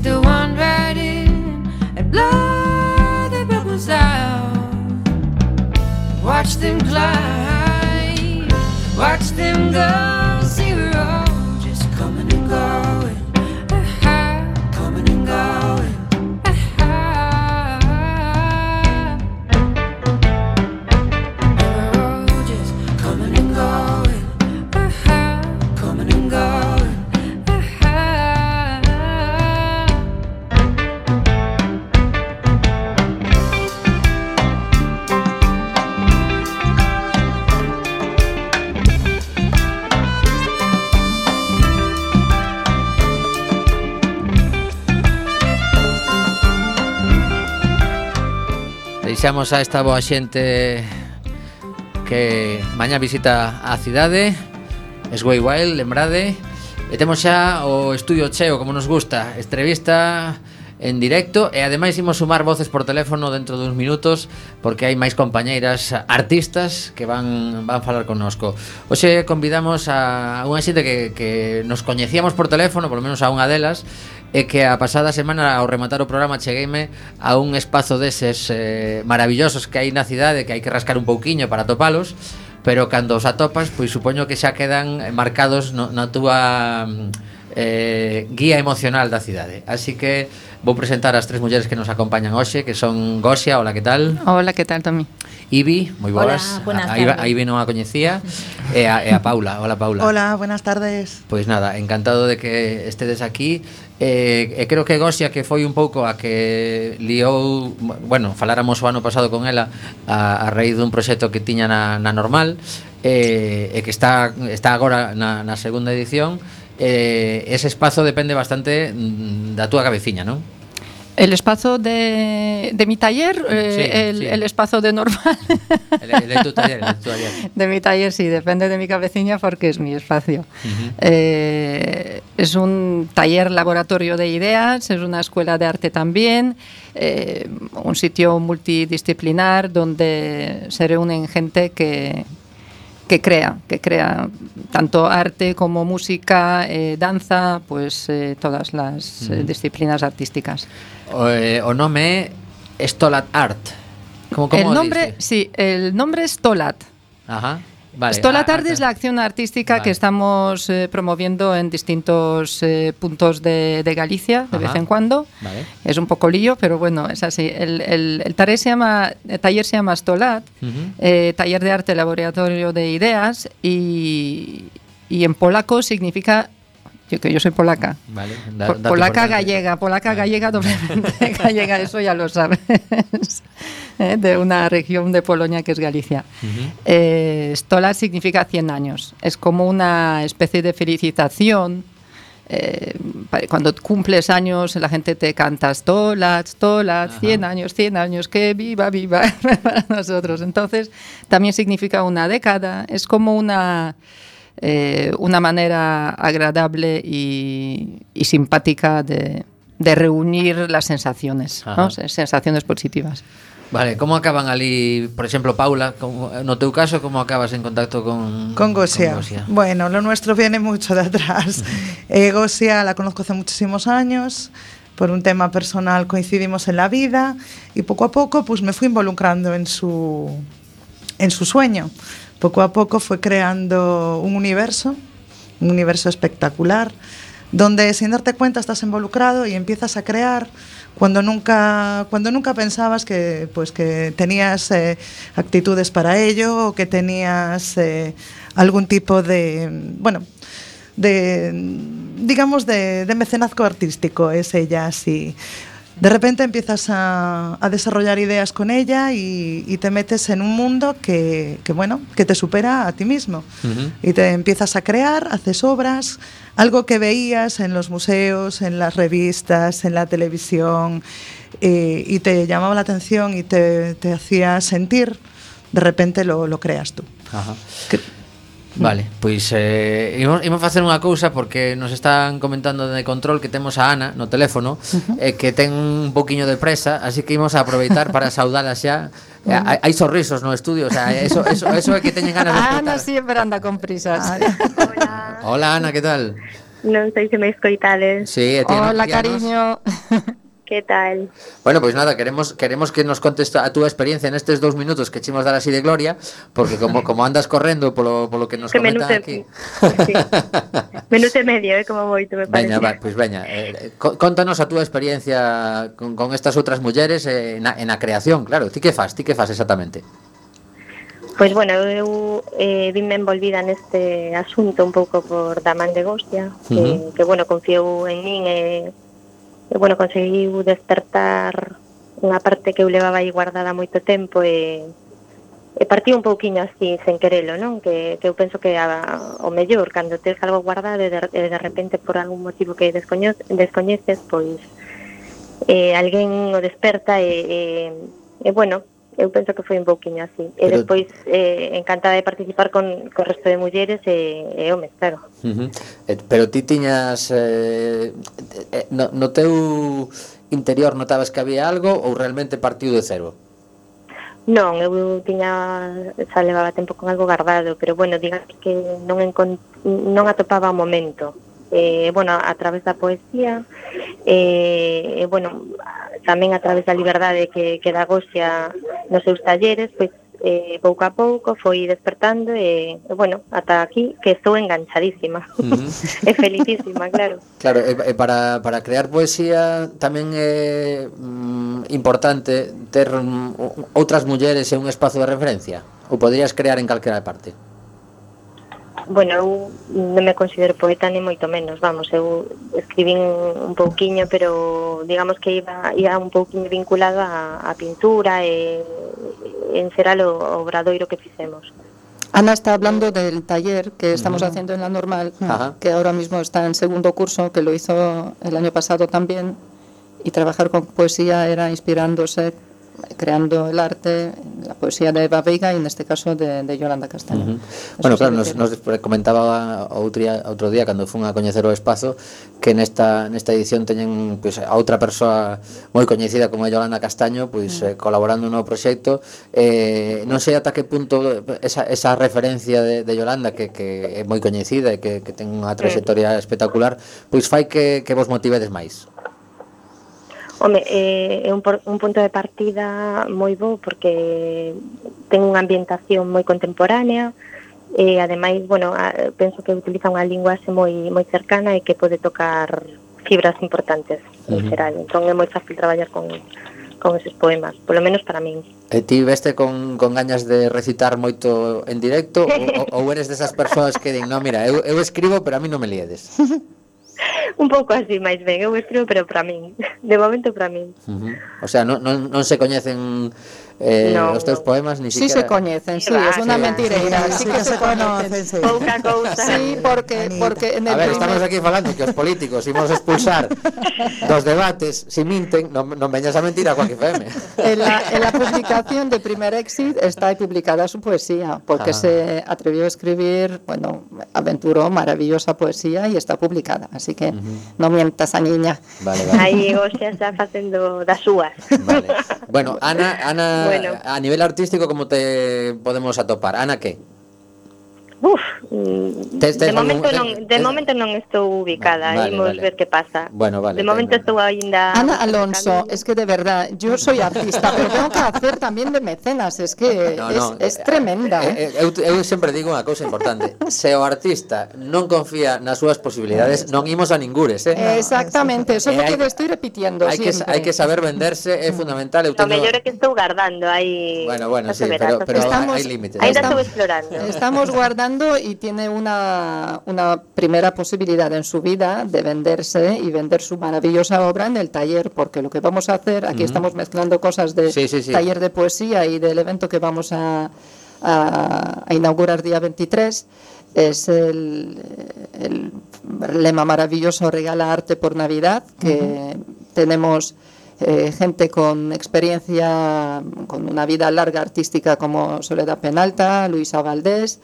S6: the one right in and blow the bubbles out. Watch them climb, watch them go. See, we're all just coming and going, ah-ha, coming and going, ah-ha. We're all just coming and going, ah-ha, coming and going, ah-ha.
S2: Deixamos a esta boa xente que mañá visita a cidade, Sway Wild, lembrade. E temos xa o estudio cheo, como nos gusta, entrevista en directo. E ademais imos sumar voces por teléfono dentro duns minutos, porque hai máis compañeiras artistas que van van falar connosco. Hoxe convidamos a unha xente que, que nos coñecíamos por teléfono, polo menos a unha delas, e que a pasada semana ao rematar o programa chegueime a un espazo deses eh, maravillosos que hai na cidade, que hai que rascar un pouquiño para topalos, pero cando os atopas, pois supoño que xa quedan marcados no, na túa eh, guía emocional da cidade. Así que vou presentar as tres mulleres que nos acompañan hoxe, que son Gosia, hola, que tal?
S7: Hola, que tal, Tommy?
S2: Ibi, moi boas.
S8: Hola, buenas
S2: a, a,
S8: tardes.
S2: a Ibi non a coñecía. E a, e a Paula, hola Paula.
S9: Hola, buenas tardes.
S2: Pois nada, encantado de que estedes aquí. E, e creo que Gosia, que foi un pouco a que liou, bueno, faláramos o ano pasado con ela a, a raíz dun proxecto que tiña na, na Normal, e, e que está está agora na, na segunda edición. Eh, ese espazo depende bastante mm, da túa cabeciña, non?
S7: El espacio de, de mi taller, eh,
S2: Sí,
S7: el,
S2: sí.
S7: el espacio de normal.
S2: El, el de tu taller, el de tu taller.
S7: De mi taller sí, depende de mi cabecilla porque es mi espacio.
S2: Uh-huh.
S7: Eh, es un taller laboratorio de ideas, es una escuela de arte también, eh, un sitio multidisciplinar donde se reúnen gente que, que crea, que crea tanto arte como música, eh, danza, pues eh, todas las eh,
S2: Uh-huh.
S7: disciplinas artísticas.
S2: O, eh, o nome é Stolat Art. Como, como
S7: El nombre,
S2: dice?
S7: sí, el nombre es Stolat.
S2: Ajá. Vale.
S7: Stolat
S2: ah,
S7: Art
S2: ah,
S7: es la acción artística
S2: Vale.
S7: que estamos eh, promoviendo en distintos eh, puntos de, de Galicia de
S2: Ajá.
S7: vez en cuando.
S2: Vale.
S7: Es un poco lío, pero bueno, es así. El, el, el, taller, se llama, el taller se llama Stolat,
S2: Uh-huh.
S7: eh, taller de arte, laboratorio de ideas, y, y en polaco significa, yo, que yo soy polaca,
S2: Vale. Da,
S7: Po-
S2: dato
S7: polaca
S2: importante.
S7: gallega, polaca
S2: Vale.
S7: gallega doblemente gallega, eso ya lo sabes, ¿eh? De una región de Polonia que es Galicia.
S2: Uh-huh.
S7: Eh, Stolat significa cien años, es como una especie de felicitación. Eh, pa- cuando cumples años la gente te canta Stolat, Stolat,
S2: Ajá.
S7: cien años, cien años, que viva, viva para nosotros. Entonces también significa una década, es como una... Eh, una manera agradable y, y simpática de, de reunir las sensaciones,
S2: Ajá.
S7: ¿no? Sensaciones positivas.
S2: Vale, como acaban ali, por exemplo, Paula, como, no teu caso, como acabas en contacto con
S9: Con Gosia.
S2: con Gosia?
S9: Bueno, lo nuestro viene mucho de atrás. eh, Gosia la conozco hace muchísimos años. Por un tema personal coincidimos en la vida y poco a poco pues me fui involucrando en su, en su sueño. Poco a poco fue creando un universo, un universo espectacular, donde sin darte cuenta estás involucrado y empiezas a crear cuando nunca, cuando nunca pensabas que, pues, que tenías eh, actitudes para ello o que tenías eh, algún tipo de, bueno, de, digamos, de, de mecenazgo artístico, es ella así. De repente empiezas a, a desarrollar ideas con ella y, y te metes en un mundo que, que, bueno, que te supera a ti mismo.
S2: Uh-huh.
S9: Y te empiezas a crear, haces obras, algo que veías en los museos, en las revistas, en la televisión, eh, y te llamaba la atención y te, te hacía sentir, de repente lo, lo creas tú.
S2: Ajá.
S9: Que-
S2: Vale, pois eh, imos, imos facer unha cousa porque nos están comentando de control que temos a Ana no teléfono uh-huh. eh, que ten un poquinho de presa, así que imos a aproveitar para saudala xa. Eh, hai, hai sorrisos no estudio, o sea, eso, eso, eso é que teñen ganas de escutar.
S7: Ana siempre anda con prisas.
S2: Hola Ana, que tal?
S8: Non sei se me escoitades.
S2: Sí, e ti non
S7: Hola,
S2: tianos.
S7: cariño.
S8: Que tal?
S2: Bueno, pois nada, queremos queremos que nos contes a túa experiencia nestes dous minutos que chimos dar así de gloria, porque como como andas correndo polo polo que nos
S8: Que
S2: comentan
S8: menute-
S2: aquí.
S8: Sí. Minuto e medio, eh, como moito, me parece.
S2: Veña, va, pois veña, eh, co- contanos a túa experiencia con, con estas outras mulleres eh, na, en a creación, claro. Ti que fas? Ti que fas exactamente?
S8: Pois bueno, eu eh, vime envolvida neste asunto un pouco por Damán de Gostia, que,
S2: Ujú.
S8: que bueno, confiou en min e, e bueno, conseguiu despertar unha parte que eu levaba aí guardada moito tempo e, e partiu un pouquiño así, sen querelo, non? Que, que eu penso que a, o mellor, cando tes algo guardado e de, e de repente por algún motivo que descoño, descoñeces, pois eh, alguén o desperta e, e, e bueno, eu penso que foi un pouquiño así. E
S2: Pero-
S8: despois eh, encantada de participar con, con o resto de mulleres e, e homes, claro.
S2: Uh -huh. eh, pero ti tiñas eh, eh, no, no teu interior notabas que había algo ou realmente partiu de cero?
S8: Non, eu tiña, xa levaba tempo con algo guardado, pero bueno, digamos que non encont non atopaba o momento. Eh, bueno, a través da poesía, e eh, bueno, tamén a través da liberdade que, que da Gosia nos seus talleres, pois eh, pouco a pouco foi despertando e, e bueno, ata aquí que estou enganchadísima.
S2: Uh -huh.
S8: E felicísima, claro.
S2: Claro, e, e para, para crear poesía tamén é mm, importante ter mm, outras mulleres e un espazo de referencia? Ou poderías crear en calquera parte?
S8: Bueno, eu non me considero poeta ni moito menos, vamos, eu escribín un pouquiño, pero digamos que iba, iba un pouquiño vinculado a, a pintura e, e en xeral o obradoiro que fixemos.
S7: Ana está hablando del taller que estamos haciendo en la normal,
S2: Ajá.
S7: que ahora mismo está en segundo curso, que lo hizo el año pasado también, y trabajar con poesía era inspirándose, creando el arte, la poesía de Eva Veiga y en este caso de, de Yolanda Castaño.
S2: Uh -huh.
S7: Eso
S2: Bueno,
S7: sí
S2: claro,
S7: que
S2: nos,
S7: quiero.
S2: nos comentaba outro día, outro día cando fun a coñecer o espazo que nesta nesta edición teñen pois, a outra persoa moi coñecida como é Yolanda Castaño pois, eh, colaborando no proxecto. Eh, non sei ata que punto esa, esa referencia de, de Yolanda que, que é moi coñecida e que, que ten unha trayectoria espectacular pois fai que, que vos motivedes máis.
S8: Home, eh, é un, por, un punto de partida moi bo porque ten unha ambientación moi contemporánea e ademais, bueno, a, penso que utiliza unha linguaxe moi moi cercana e que pode tocar fibras importantes en
S2: Uh-huh.
S8: xeral, entón é moi fácil traballar con con eses poemas, polo menos para min.
S2: E ti veste con, con gañas de recitar moito en directo ou, ou eres desas persoas que din, no, mira, eu, eu escribo pero a mí non me liedes?
S8: Un pouco así, máis ben, eu escribo pero para min, de momento para min.
S2: Uh -huh. O sea, non, non, non se coñecen eh,
S8: No,
S2: os teus
S8: no.
S2: poemas ni
S7: Sí
S2: siquiera.
S7: se conocen, sí,
S8: Va,
S7: es una
S8: sí,
S7: mentireira,
S9: sí,
S7: sí,
S9: sí
S7: que
S9: que
S7: se
S9: se conocen,
S7: conocen.
S9: sí.
S8: Pouca cousa.
S7: Sí, porque,
S9: Anita.
S7: porque en el
S2: A ver,
S7: primer-
S2: estamos aquí falando que os políticos imos expulsar dos debates, si minten, non, non veñas a mentir a Quack F M.
S7: En la, en la publicación de Primer Exit está ahí publicada su poesía, porque
S2: Ah.
S7: se atrevió a escribir, bueno, aventuró maravillosa poesía y está publicada. Así que no mientas a niña.
S2: Vale, vale.
S8: Aí Gosia está facendo das súas.
S2: Vale. Bueno, Ana, Ana
S8: Bueno.
S2: a nivel artístico como te podemos atopar? Ana que?
S8: Uf, mm,
S2: Tes- tes
S8: de momento
S2: algún-
S8: non,
S2: tes-
S8: de
S2: tes-
S8: momento non estou ubicada,
S2: Vale,
S8: imos
S2: vale.
S8: ver que pasa.
S2: Bueno, vale,
S8: De momento
S2: ten-
S8: estou aínda
S7: Ana Alonso, es que de verdad, yo soy artista, pero tengo que hacer también de mecenas, es que
S2: No,
S7: es,
S2: no,
S7: es
S2: eh,
S7: tremenda.
S2: eh, eh, eu, eu sempre digo unha cousa importante. Se o artista non confía nas súas posibilidades, non imos a ningures, eh?
S7: Exactamente, eso es
S2: Eh,
S7: lo que
S2: hai-
S7: le estoy repitiendo
S2: Hai que,
S7: siempre.
S2: hai que saber venderse, é fundamental. Eu
S8: O
S2: teño...
S8: mellor é que estou guardando aí.
S2: Bueno, bueno,
S8: xa
S2: sí,
S8: se verá,
S2: pero,
S8: xa se
S2: pero
S8: verá.
S7: Estamos-
S2: hai límites.
S8: Ainda
S7: estamos-
S8: estou explorando.
S7: Estamos guardando y tiene una, una primera posibilidad en su vida de venderse y vender su maravillosa obra en el taller, porque lo que vamos a hacer, aquí estamos mezclando cosas de
S2: Sí, sí, sí.
S7: taller de poesía y del evento que vamos a, a, a inaugurar día veintitrés, es el, el lema maravilloso Regala Arte por Navidad, que tenemos eh, gente con experiencia, con una vida larga artística como Soledad Penalta, Luisa Valdés,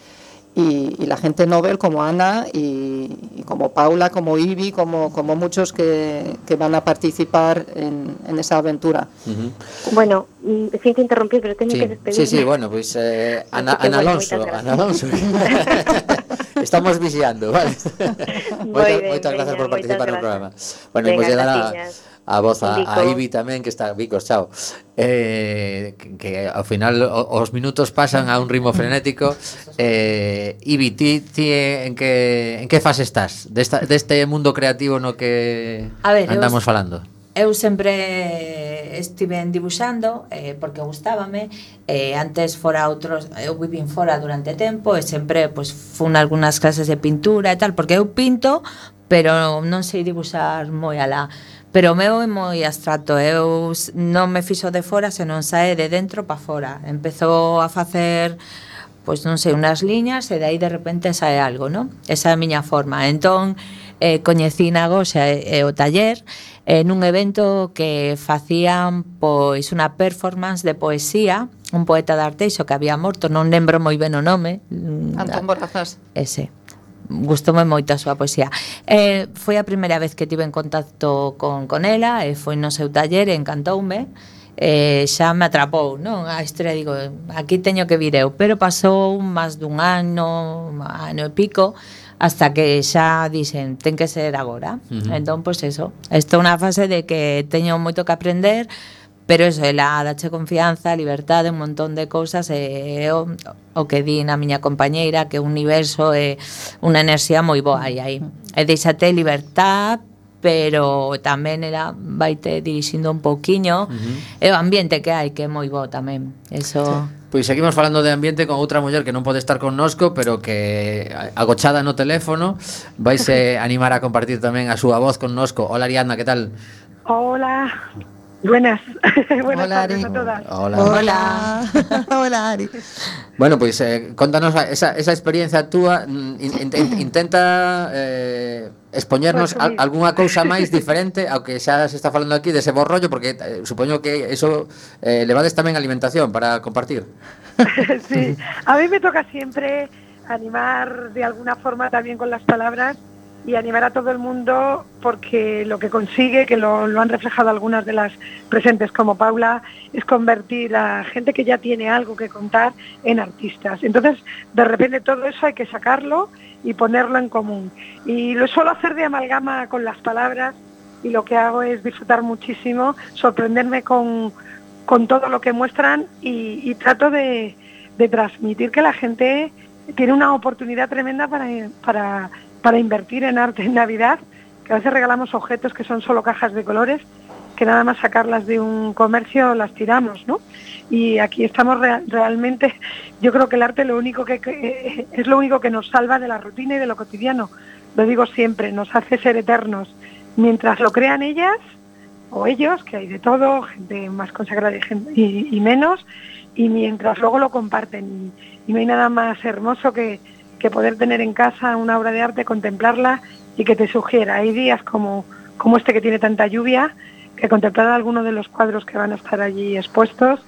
S7: y, y la gente Nobel como Ana y, y como Paula, como Ibi, como, como muchos que, que van a participar en, en esa aventura.
S2: Uh-huh.
S8: Bueno, mm, sin que interrumpir, pero teño
S2: Sí,
S8: que despedirme.
S2: sí, sí, bueno, pois pues, eh, Ana,
S8: Así que,
S2: Ana
S8: bueno,
S2: Alonso,
S8: moitas
S2: Ana Alonso. estamos vixiando, vale.
S8: Moi
S2: Moitas,
S8: ben,
S2: moitas
S8: veña,
S2: grazas por
S8: moitas
S2: participar no
S8: grazas.
S2: programa. Bueno,
S8: Venga,
S2: imos lle dar a,
S8: graciñas.
S2: a voz a,
S8: Vico.
S2: a Ibi tamén, que está, Vicos, chao. Eh, que, que ao final o- os minutos pasan a un ritmo frenético. Eh, Ibi, ti, ti en que en que fase estás desta, deste mundo creativo no que
S10: A ver, eu
S2: andamos
S10: est-
S2: falando?
S10: Eu sempre estiven dibuixando eh, porque gustábame eh, antes fora outros eu vivín fora durante tempo e sempre pois, fun algunhas clases de pintura e tal porque eu pinto pero non sei dibuixar moi alá pero o meu é moi abstracto eu s- non me fixo de fora senón sae de dentro pa fora empezou a facer pois non sei, unhas liñas e de aí de repente sae algo, non? Esa é a miña forma. Entón, eh, coñecí na Goxa e, e o taller eh, nun evento que facían pois unha performance de poesía, un poeta de Arteixo que había morto, non lembro moi ben o nome. mm,
S7: Antón Borrazás.
S10: Ese. Gustoume moito a súa poesía. Eh, foi a primeira vez que tive en contacto con, con ela e foi no seu taller e encantoume. Eh, xa me atrapou, non? A historia, digo, aquí teño que vir eu, pero pasou máis dun ano, ano e pico, hasta que xa dixen, ten que ser agora.
S2: Ujú.
S10: Entón, pois eso, estou na fase de que teño moito que aprender, pero eso, ela dache confianza, liberdade, un montón de cousas e o, o que di na miña compañeira que o universo é unha enerxía moi boa aí aí. E deixate libertad, pero tamén ela vaite dirixindo un pouquiño e o ambiente que hai que é moi bo tamén. Eso
S2: Pois seguimos falando de ambiente con outra muller que non pode estar connosco, pero que agochada no teléfono vaise animar a compartir tamén a súa voz connosco. Hola Ariadna, que tal?
S11: Hola, buenas. Buenas
S7: Hola,
S11: tardes
S7: Ari.
S11: a todas.
S2: Hola.
S9: Hola. Hola, Ari.
S2: Bueno, pois eh, contanos a- esa, esa experiencia túa, mm, in, in, intenta eh, expoñernos al,
S11: Resumir.
S2: algunha cousa máis diferente ao que xa se está falando aquí dese bo rollo, porque eh, supoño que eso eh, levades tamén alimentación para compartir.
S11: Sí, a mí me toca siempre animar de alguna forma también con las palabras y animar a todo el mundo porque lo que consigue, que lo, lo han reflejado algunas de las presentes como Paula, es convertir a gente que ya tiene algo que contar en artistas. Entonces, de repente todo eso hay que sacarlo y ponerlo en común. Y lo suelo hacer de amalgama con las palabras y lo que hago es disfrutar muchísimo, sorprenderme con, con todo lo que muestran y, y trato de, de transmitir que la gente tiene una oportunidad tremenda para, para, para invertir en arte en Navidad, que a veces regalamos objetos que son solo cajas de colores, que nada más sacarlas de un comercio las tiramos, ¿no? Y aquí estamos rea- realmente, yo creo que el arte lo único que, que es lo único que nos salva de la rutina y de lo cotidiano. Lo digo siempre, nos hace ser eternos. Mientras lo crean ellas o ellos, que hay de todo, gente más consagrada y, gen- y, y menos, y mientras luego lo comparten. Y, y no hay nada más hermoso que, que poder tener en casa una obra de arte, contemplarla y que te sugiera. Hay días como, como este que tiene tanta lluvia, que contemplar alguno de los cuadros que van a estar allí expuestos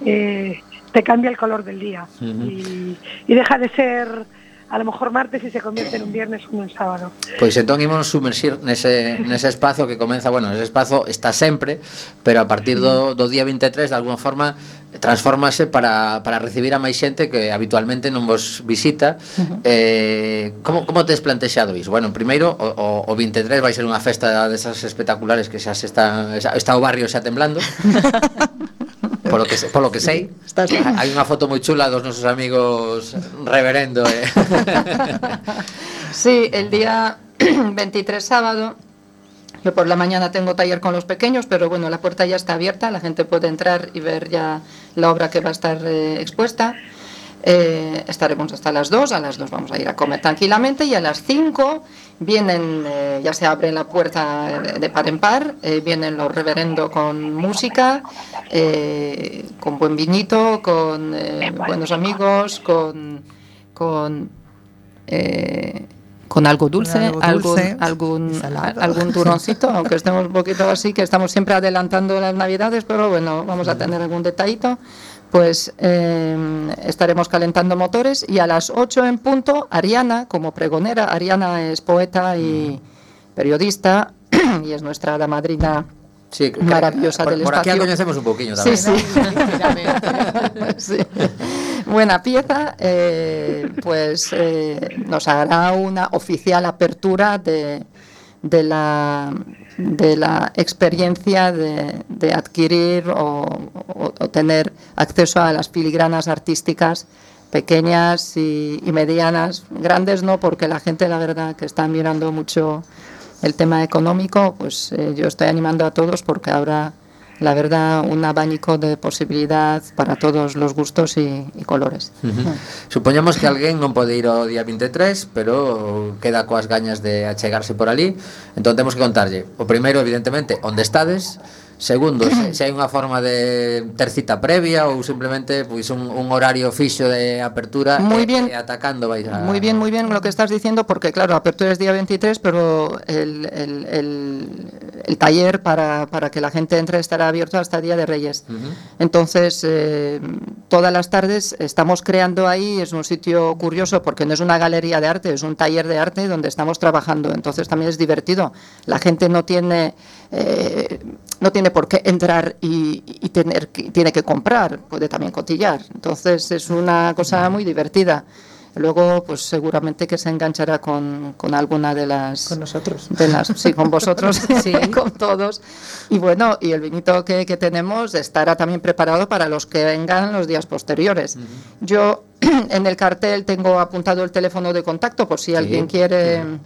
S11: eh, te cambia el color del día.
S2: Ujú.
S11: y, y deja de ser a lo mejor martes y se convierte en un viernes o en un sábado.
S2: Pois entón imos sumerxir nese, nese espazo que comeza, bueno, ese espazo está sempre, pero a partir do, do día vinte e tres de alguna forma transfórmase para, para recibir a máis xente que habitualmente non vos visita. eh, como, como tes plantexado iso? Bueno, primeiro, o, o, o vinte e tres vai ser unha festa desas espectaculares que xa se está, xa, está o barrio xa temblando. Polo que, se- polo que sei,
S7: Estás ben.
S2: hai unha foto moi chula dos nosos amigos reverendo eh.
S7: Sí, el día veintitrés sábado, yo por la mañana tengo taller con los pequeños, pero bueno, la puerta ya está abierta, la gente puede entrar y ver ya la obra que va a estar eh, expuesta. Eh, estaremos hasta las dos, a las dos vamos a ir a comer tranquilamente y a las cinco vienen, eh, ya se abre la puerta de, de par en par, eh, vienen los reverendo con música, eh, con buen vinito, con eh, buenos amigos, con... con eh, con algo dulce,
S9: Con algo dulce,
S7: algún, algún,
S9: salado.
S7: algún turroncito, aunque estemos un poquito así, que estamos siempre adelantando las navidades, pero bueno, vamos a tener algún detallito. Pues eh, estaremos calentando motores y a las ocho en punto, Ariana, como pregonera, Ariana es poeta y periodista y es nuestra hada madrina.
S2: Sí,
S7: Maravillosa
S2: por,
S7: del
S2: por aquí
S7: espacio.
S2: la conocemos un poquillo
S7: Sí,
S2: tamén.
S7: sí. Sí. buena pieza, eh, pues eh, nos hará una oficial apertura de, de, la, de la experiencia de, de adquirir o, o, o tener acceso a las filigranas artísticas pequeñas y, y medianas, grandes no, porque la gente, la verdad, que está mirando mucho el tema económico, pues eh, yo estoy animando a todos porque habrá, la verdad, un abanico de posibilidad para todos los gustos y, y colores.
S2: Uh-huh. Supoñamos que alguén non pode ir ao día veintitrés, pero queda coas gañas de achegarse por ali, entón temos que contarlle, o primeiro, evidentemente, onde estades. Segundo, se, se hai unha forma de ter cita previa ou simplemente pois un, un horario fixo de apertura
S7: muy
S2: e,
S7: bien,
S2: e atacando vais a...
S7: Muy bien, muy bien lo que estás diciendo, porque claro, apertura es día veintitrés, pero el, el, el, el taller para, para que la gente entre estará abierto hasta el Día de Reyes. Uh-huh. Entonces, eh, todas las tardes estamos creando ahí, es un sitio curioso porque no es una galería de arte, es un taller de arte donde estamos trabajando, entonces también es divertido. La gente no tiene... Eh, no tiene por qué entrar y, y tener que, tiene que comprar, puede también cotillar. Entonces es una cosa muy divertida. Luego, pues seguramente que se enganchará con, con alguna de las...
S9: Con nosotros.
S7: De las, sí, con vosotros, sí, con todos. Y bueno, y el vinito que, que tenemos estará también preparado para los que vengan los días posteriores. Uh-huh. Yo en el cartel tengo apuntado el teléfono de contacto por si sí. alguien quiere... Uh-huh.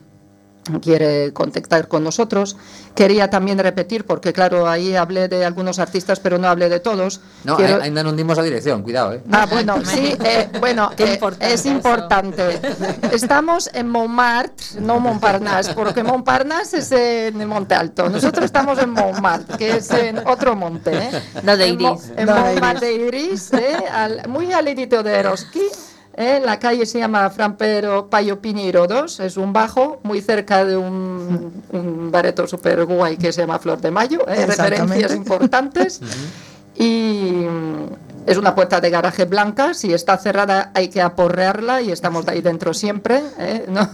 S7: quiere contactar con nosotros. Quería también repetir, porque claro, ahí hablé de algunos artistas, pero no hablé de todos.
S2: No, Quiero... ainda non dimos a dirección, cuidado, eh.
S7: Ah, bueno, sí, eh, bueno, eh, es importante. Estamos en Montmartre, no Montparnasse, porque Montparnasse es en Monte Alto. Nosotros estamos en Montmartre, que es en otro monte, ¿eh?
S10: No de Iris.
S7: En, Mo en no Montmartre de Iris, ¿eh? Al, muy al ladito de Eroski. Eh, la calle se llama Fran Pedro Payo Piñeiro dos, es un bajo muy cerca de un, un bareto super guay que se llama Flor de Mayo, eh, referencias importantes. Y es una puerta de garaje blanca, si está cerrada hay que aporrearla y estamos de ahí dentro siempre, eh, no,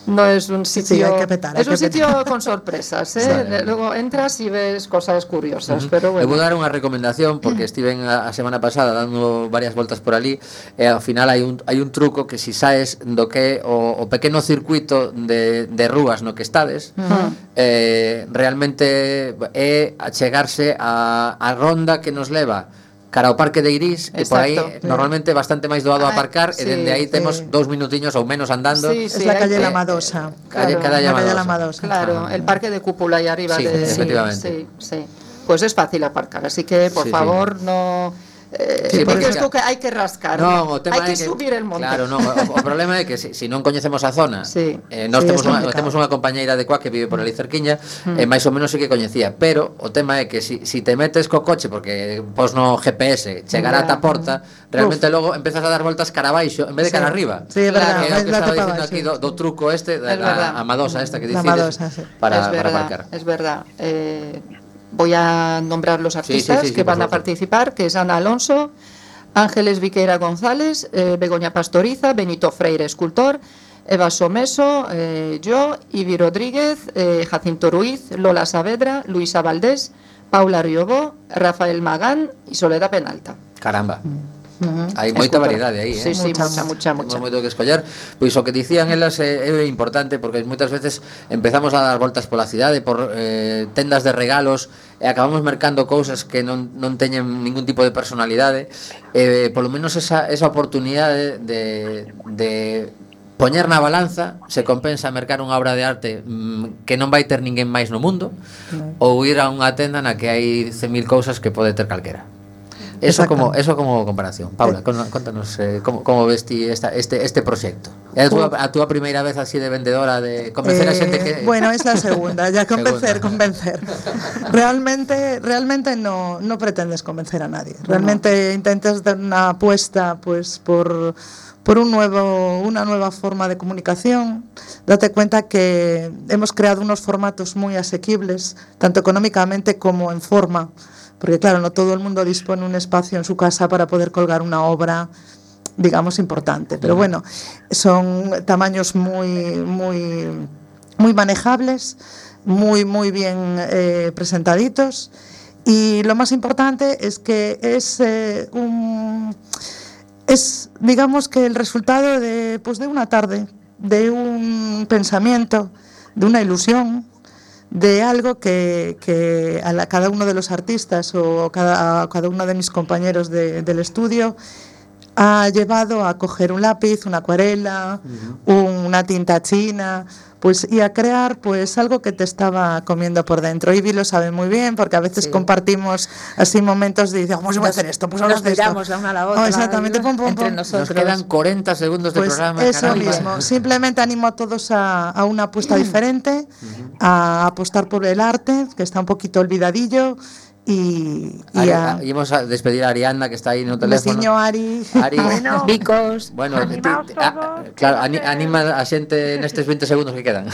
S7: no es un sitio,
S9: sí, hay que petar, hay
S7: es un
S9: que
S7: sitio
S9: petar.
S7: con sorpresas, eh. Luego entras y ves cosas curiosas, uh-huh. pero bueno.
S2: Eu vou dar unha recomendación porque estiven a, a semana pasada dando varias voltas por ali e ao final hai un, hai un truco que si saes do que o, o pequeno circuito de, de rúas no que estades, uh-huh. eh, realmente é achegarse a, a ronda que nos leva cara ao Parque de Iris, que por aí sí. normalmente bastante máis doado a aparcar, sí, e dende aí temos sí. dous minutiños ou menos andando.
S7: Sí, sí,
S9: es la calle
S7: eh,
S9: La Madosa.
S2: Calle,
S7: claro,
S2: calle,
S9: la calle La
S2: Madosa.
S7: Claro, el parque de cúpula ahí arriba.
S2: Sí,
S7: de,
S2: efectivamente.
S7: Sí, sí. Pues es fácil aparcar, así que por
S2: sí,
S7: favor
S2: sí.
S7: no... Eh,
S2: sí,
S7: porque
S2: porque
S7: es que hay que rascar,
S2: no, o tema
S7: hai que,
S2: que
S7: subir el monte.
S2: Claro, no, o, o problema é que se si, si non coñecemos a zona,
S7: sí.
S2: eh, nós
S9: sí,
S2: temos, unha, temos unha compañeira de Coa que vive por ali cerquiña, mm. e máis ou menos sí que coñecía, pero o tema é que si, si te metes co coche, porque pos no G P S chegar yeah. ata a porta, realmente Uf. logo empezas a dar voltas cara abaixo en vez de cara
S9: sí.
S2: arriba.
S9: Sí, é verdad.
S2: Que é o que estaba dicindo
S9: sí.
S2: aquí do, do truco este, da, a, a Madosa esta que dicides,
S9: Madosa, sí.
S2: para,
S7: es verdad,
S2: para aparcar.
S7: Es verdad. Eh, voy a nombrar los artistas
S2: sí, sí, sí,
S7: que
S2: sí,
S7: van a participar, que es Ana Alonso, Ángeles Viqueira González, eh, Begoña Pastoriza, Benito Freire, escultor, Eva Someso, eh, yo, Ivi Rodríguez, eh, Jacinto Ruiz, Lola Saavedra, Luisa Valdés, Paula Riobó, Rafael Magán y Soledad Penalta.
S2: Caramba.
S7: Uh-huh.
S2: Hai moita variedade aí, eh?
S7: Sí, sí, mucha, mucha, mucha.
S2: Temos moito que escoller. Pois o que dicían elas é, é importante porque moitas veces empezamos a dar voltas pola cidade por eh, tendas de regalos e acabamos mercando cousas que non, non teñen ningún tipo de personalidade. Eh, polo menos esa, esa oportunidade de, de poñer na balanza se compensa mercar unha obra de arte mmm, que non vai ter ninguén máis no mundo, no. ou ir a unha tenda na que hai cen mil cousas que pode ter calquera. Eso como eso como comparación. Paula, eh. contanos eh, como como ves ti esta este este proxecto. É a túa a túa primeira vez así de vendedora de convencer
S9: eh,
S2: a xente que
S9: Bueno, es la segunda, ya convencer, segunda. convencer. Realmente realmente no no pretendes convencer a nadie. Realmente no. intentas dar una apuesta pues por por un nuevo una nueva forma de comunicación. Date cuenta que hemos creado unos formatos muy asequibles, tanto económicamente como en forma. Porque claro, no todo el mundo dispone un espacio en su casa para poder colgar una obra, digamos, importante. Pero bueno, son tamaños muy, muy, muy manejables, muy, muy bien eh, presentaditos. Y lo más importante es que es eh, un... es, digamos que el resultado de, pues de una tarde, de un pensamiento, de una ilusión, de algo que, que a la, cada uno de los artistas o cada, a cada uno de mis compañeros de, del estudio ha llevado a coger un lápiz, una acuarela, uh-huh. una tinta china, pues y a crear pues algo que te estaba comiendo por dentro. Ivy lo sabe muy bien porque a veces sí. compartimos así momentos de decir, ¿cómo se va a hacer esto? Pues
S10: nos miramos la una a la otra.
S9: Oh, exactamente, pum, pum,
S10: entre
S9: pum.
S10: nosotros.
S2: Nos quedan cuarenta segundos de
S9: pues
S2: programa.
S9: Eso
S2: caramba.
S9: mismo. Simplemente animo a todos a, a una apuesta diferente, uh-huh. a apostar por el arte, que está un poquito olvidadillo. Y, y,
S2: Ari,
S9: a,
S2: y vamos a despedir a Arianda, que está ahí en el teléfono.
S9: Veciño Ari.
S2: Ari
S10: bueno, Vicos.
S2: Bueno,
S11: animaos
S2: ti,
S11: todos,
S2: a, claro, ani, anima a xente nestes veinte segundos que quedan.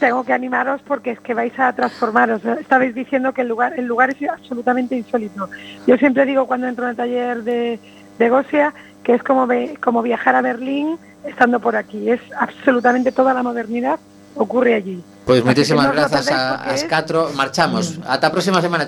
S11: Tengo que animaros porque es que vais a transformaros. Estabais diciendo que el lugar, el lugar es absolutamente insólito. Yo siempre digo cuando entro en el taller de, de Gosia que es como, ve, como viajar a Berlín estando por aquí. Es absolutamente toda la modernidad ocurre allí.
S2: Pois pues moitísimas grazas a, as catro. Marchamos. Ata a próxima semana.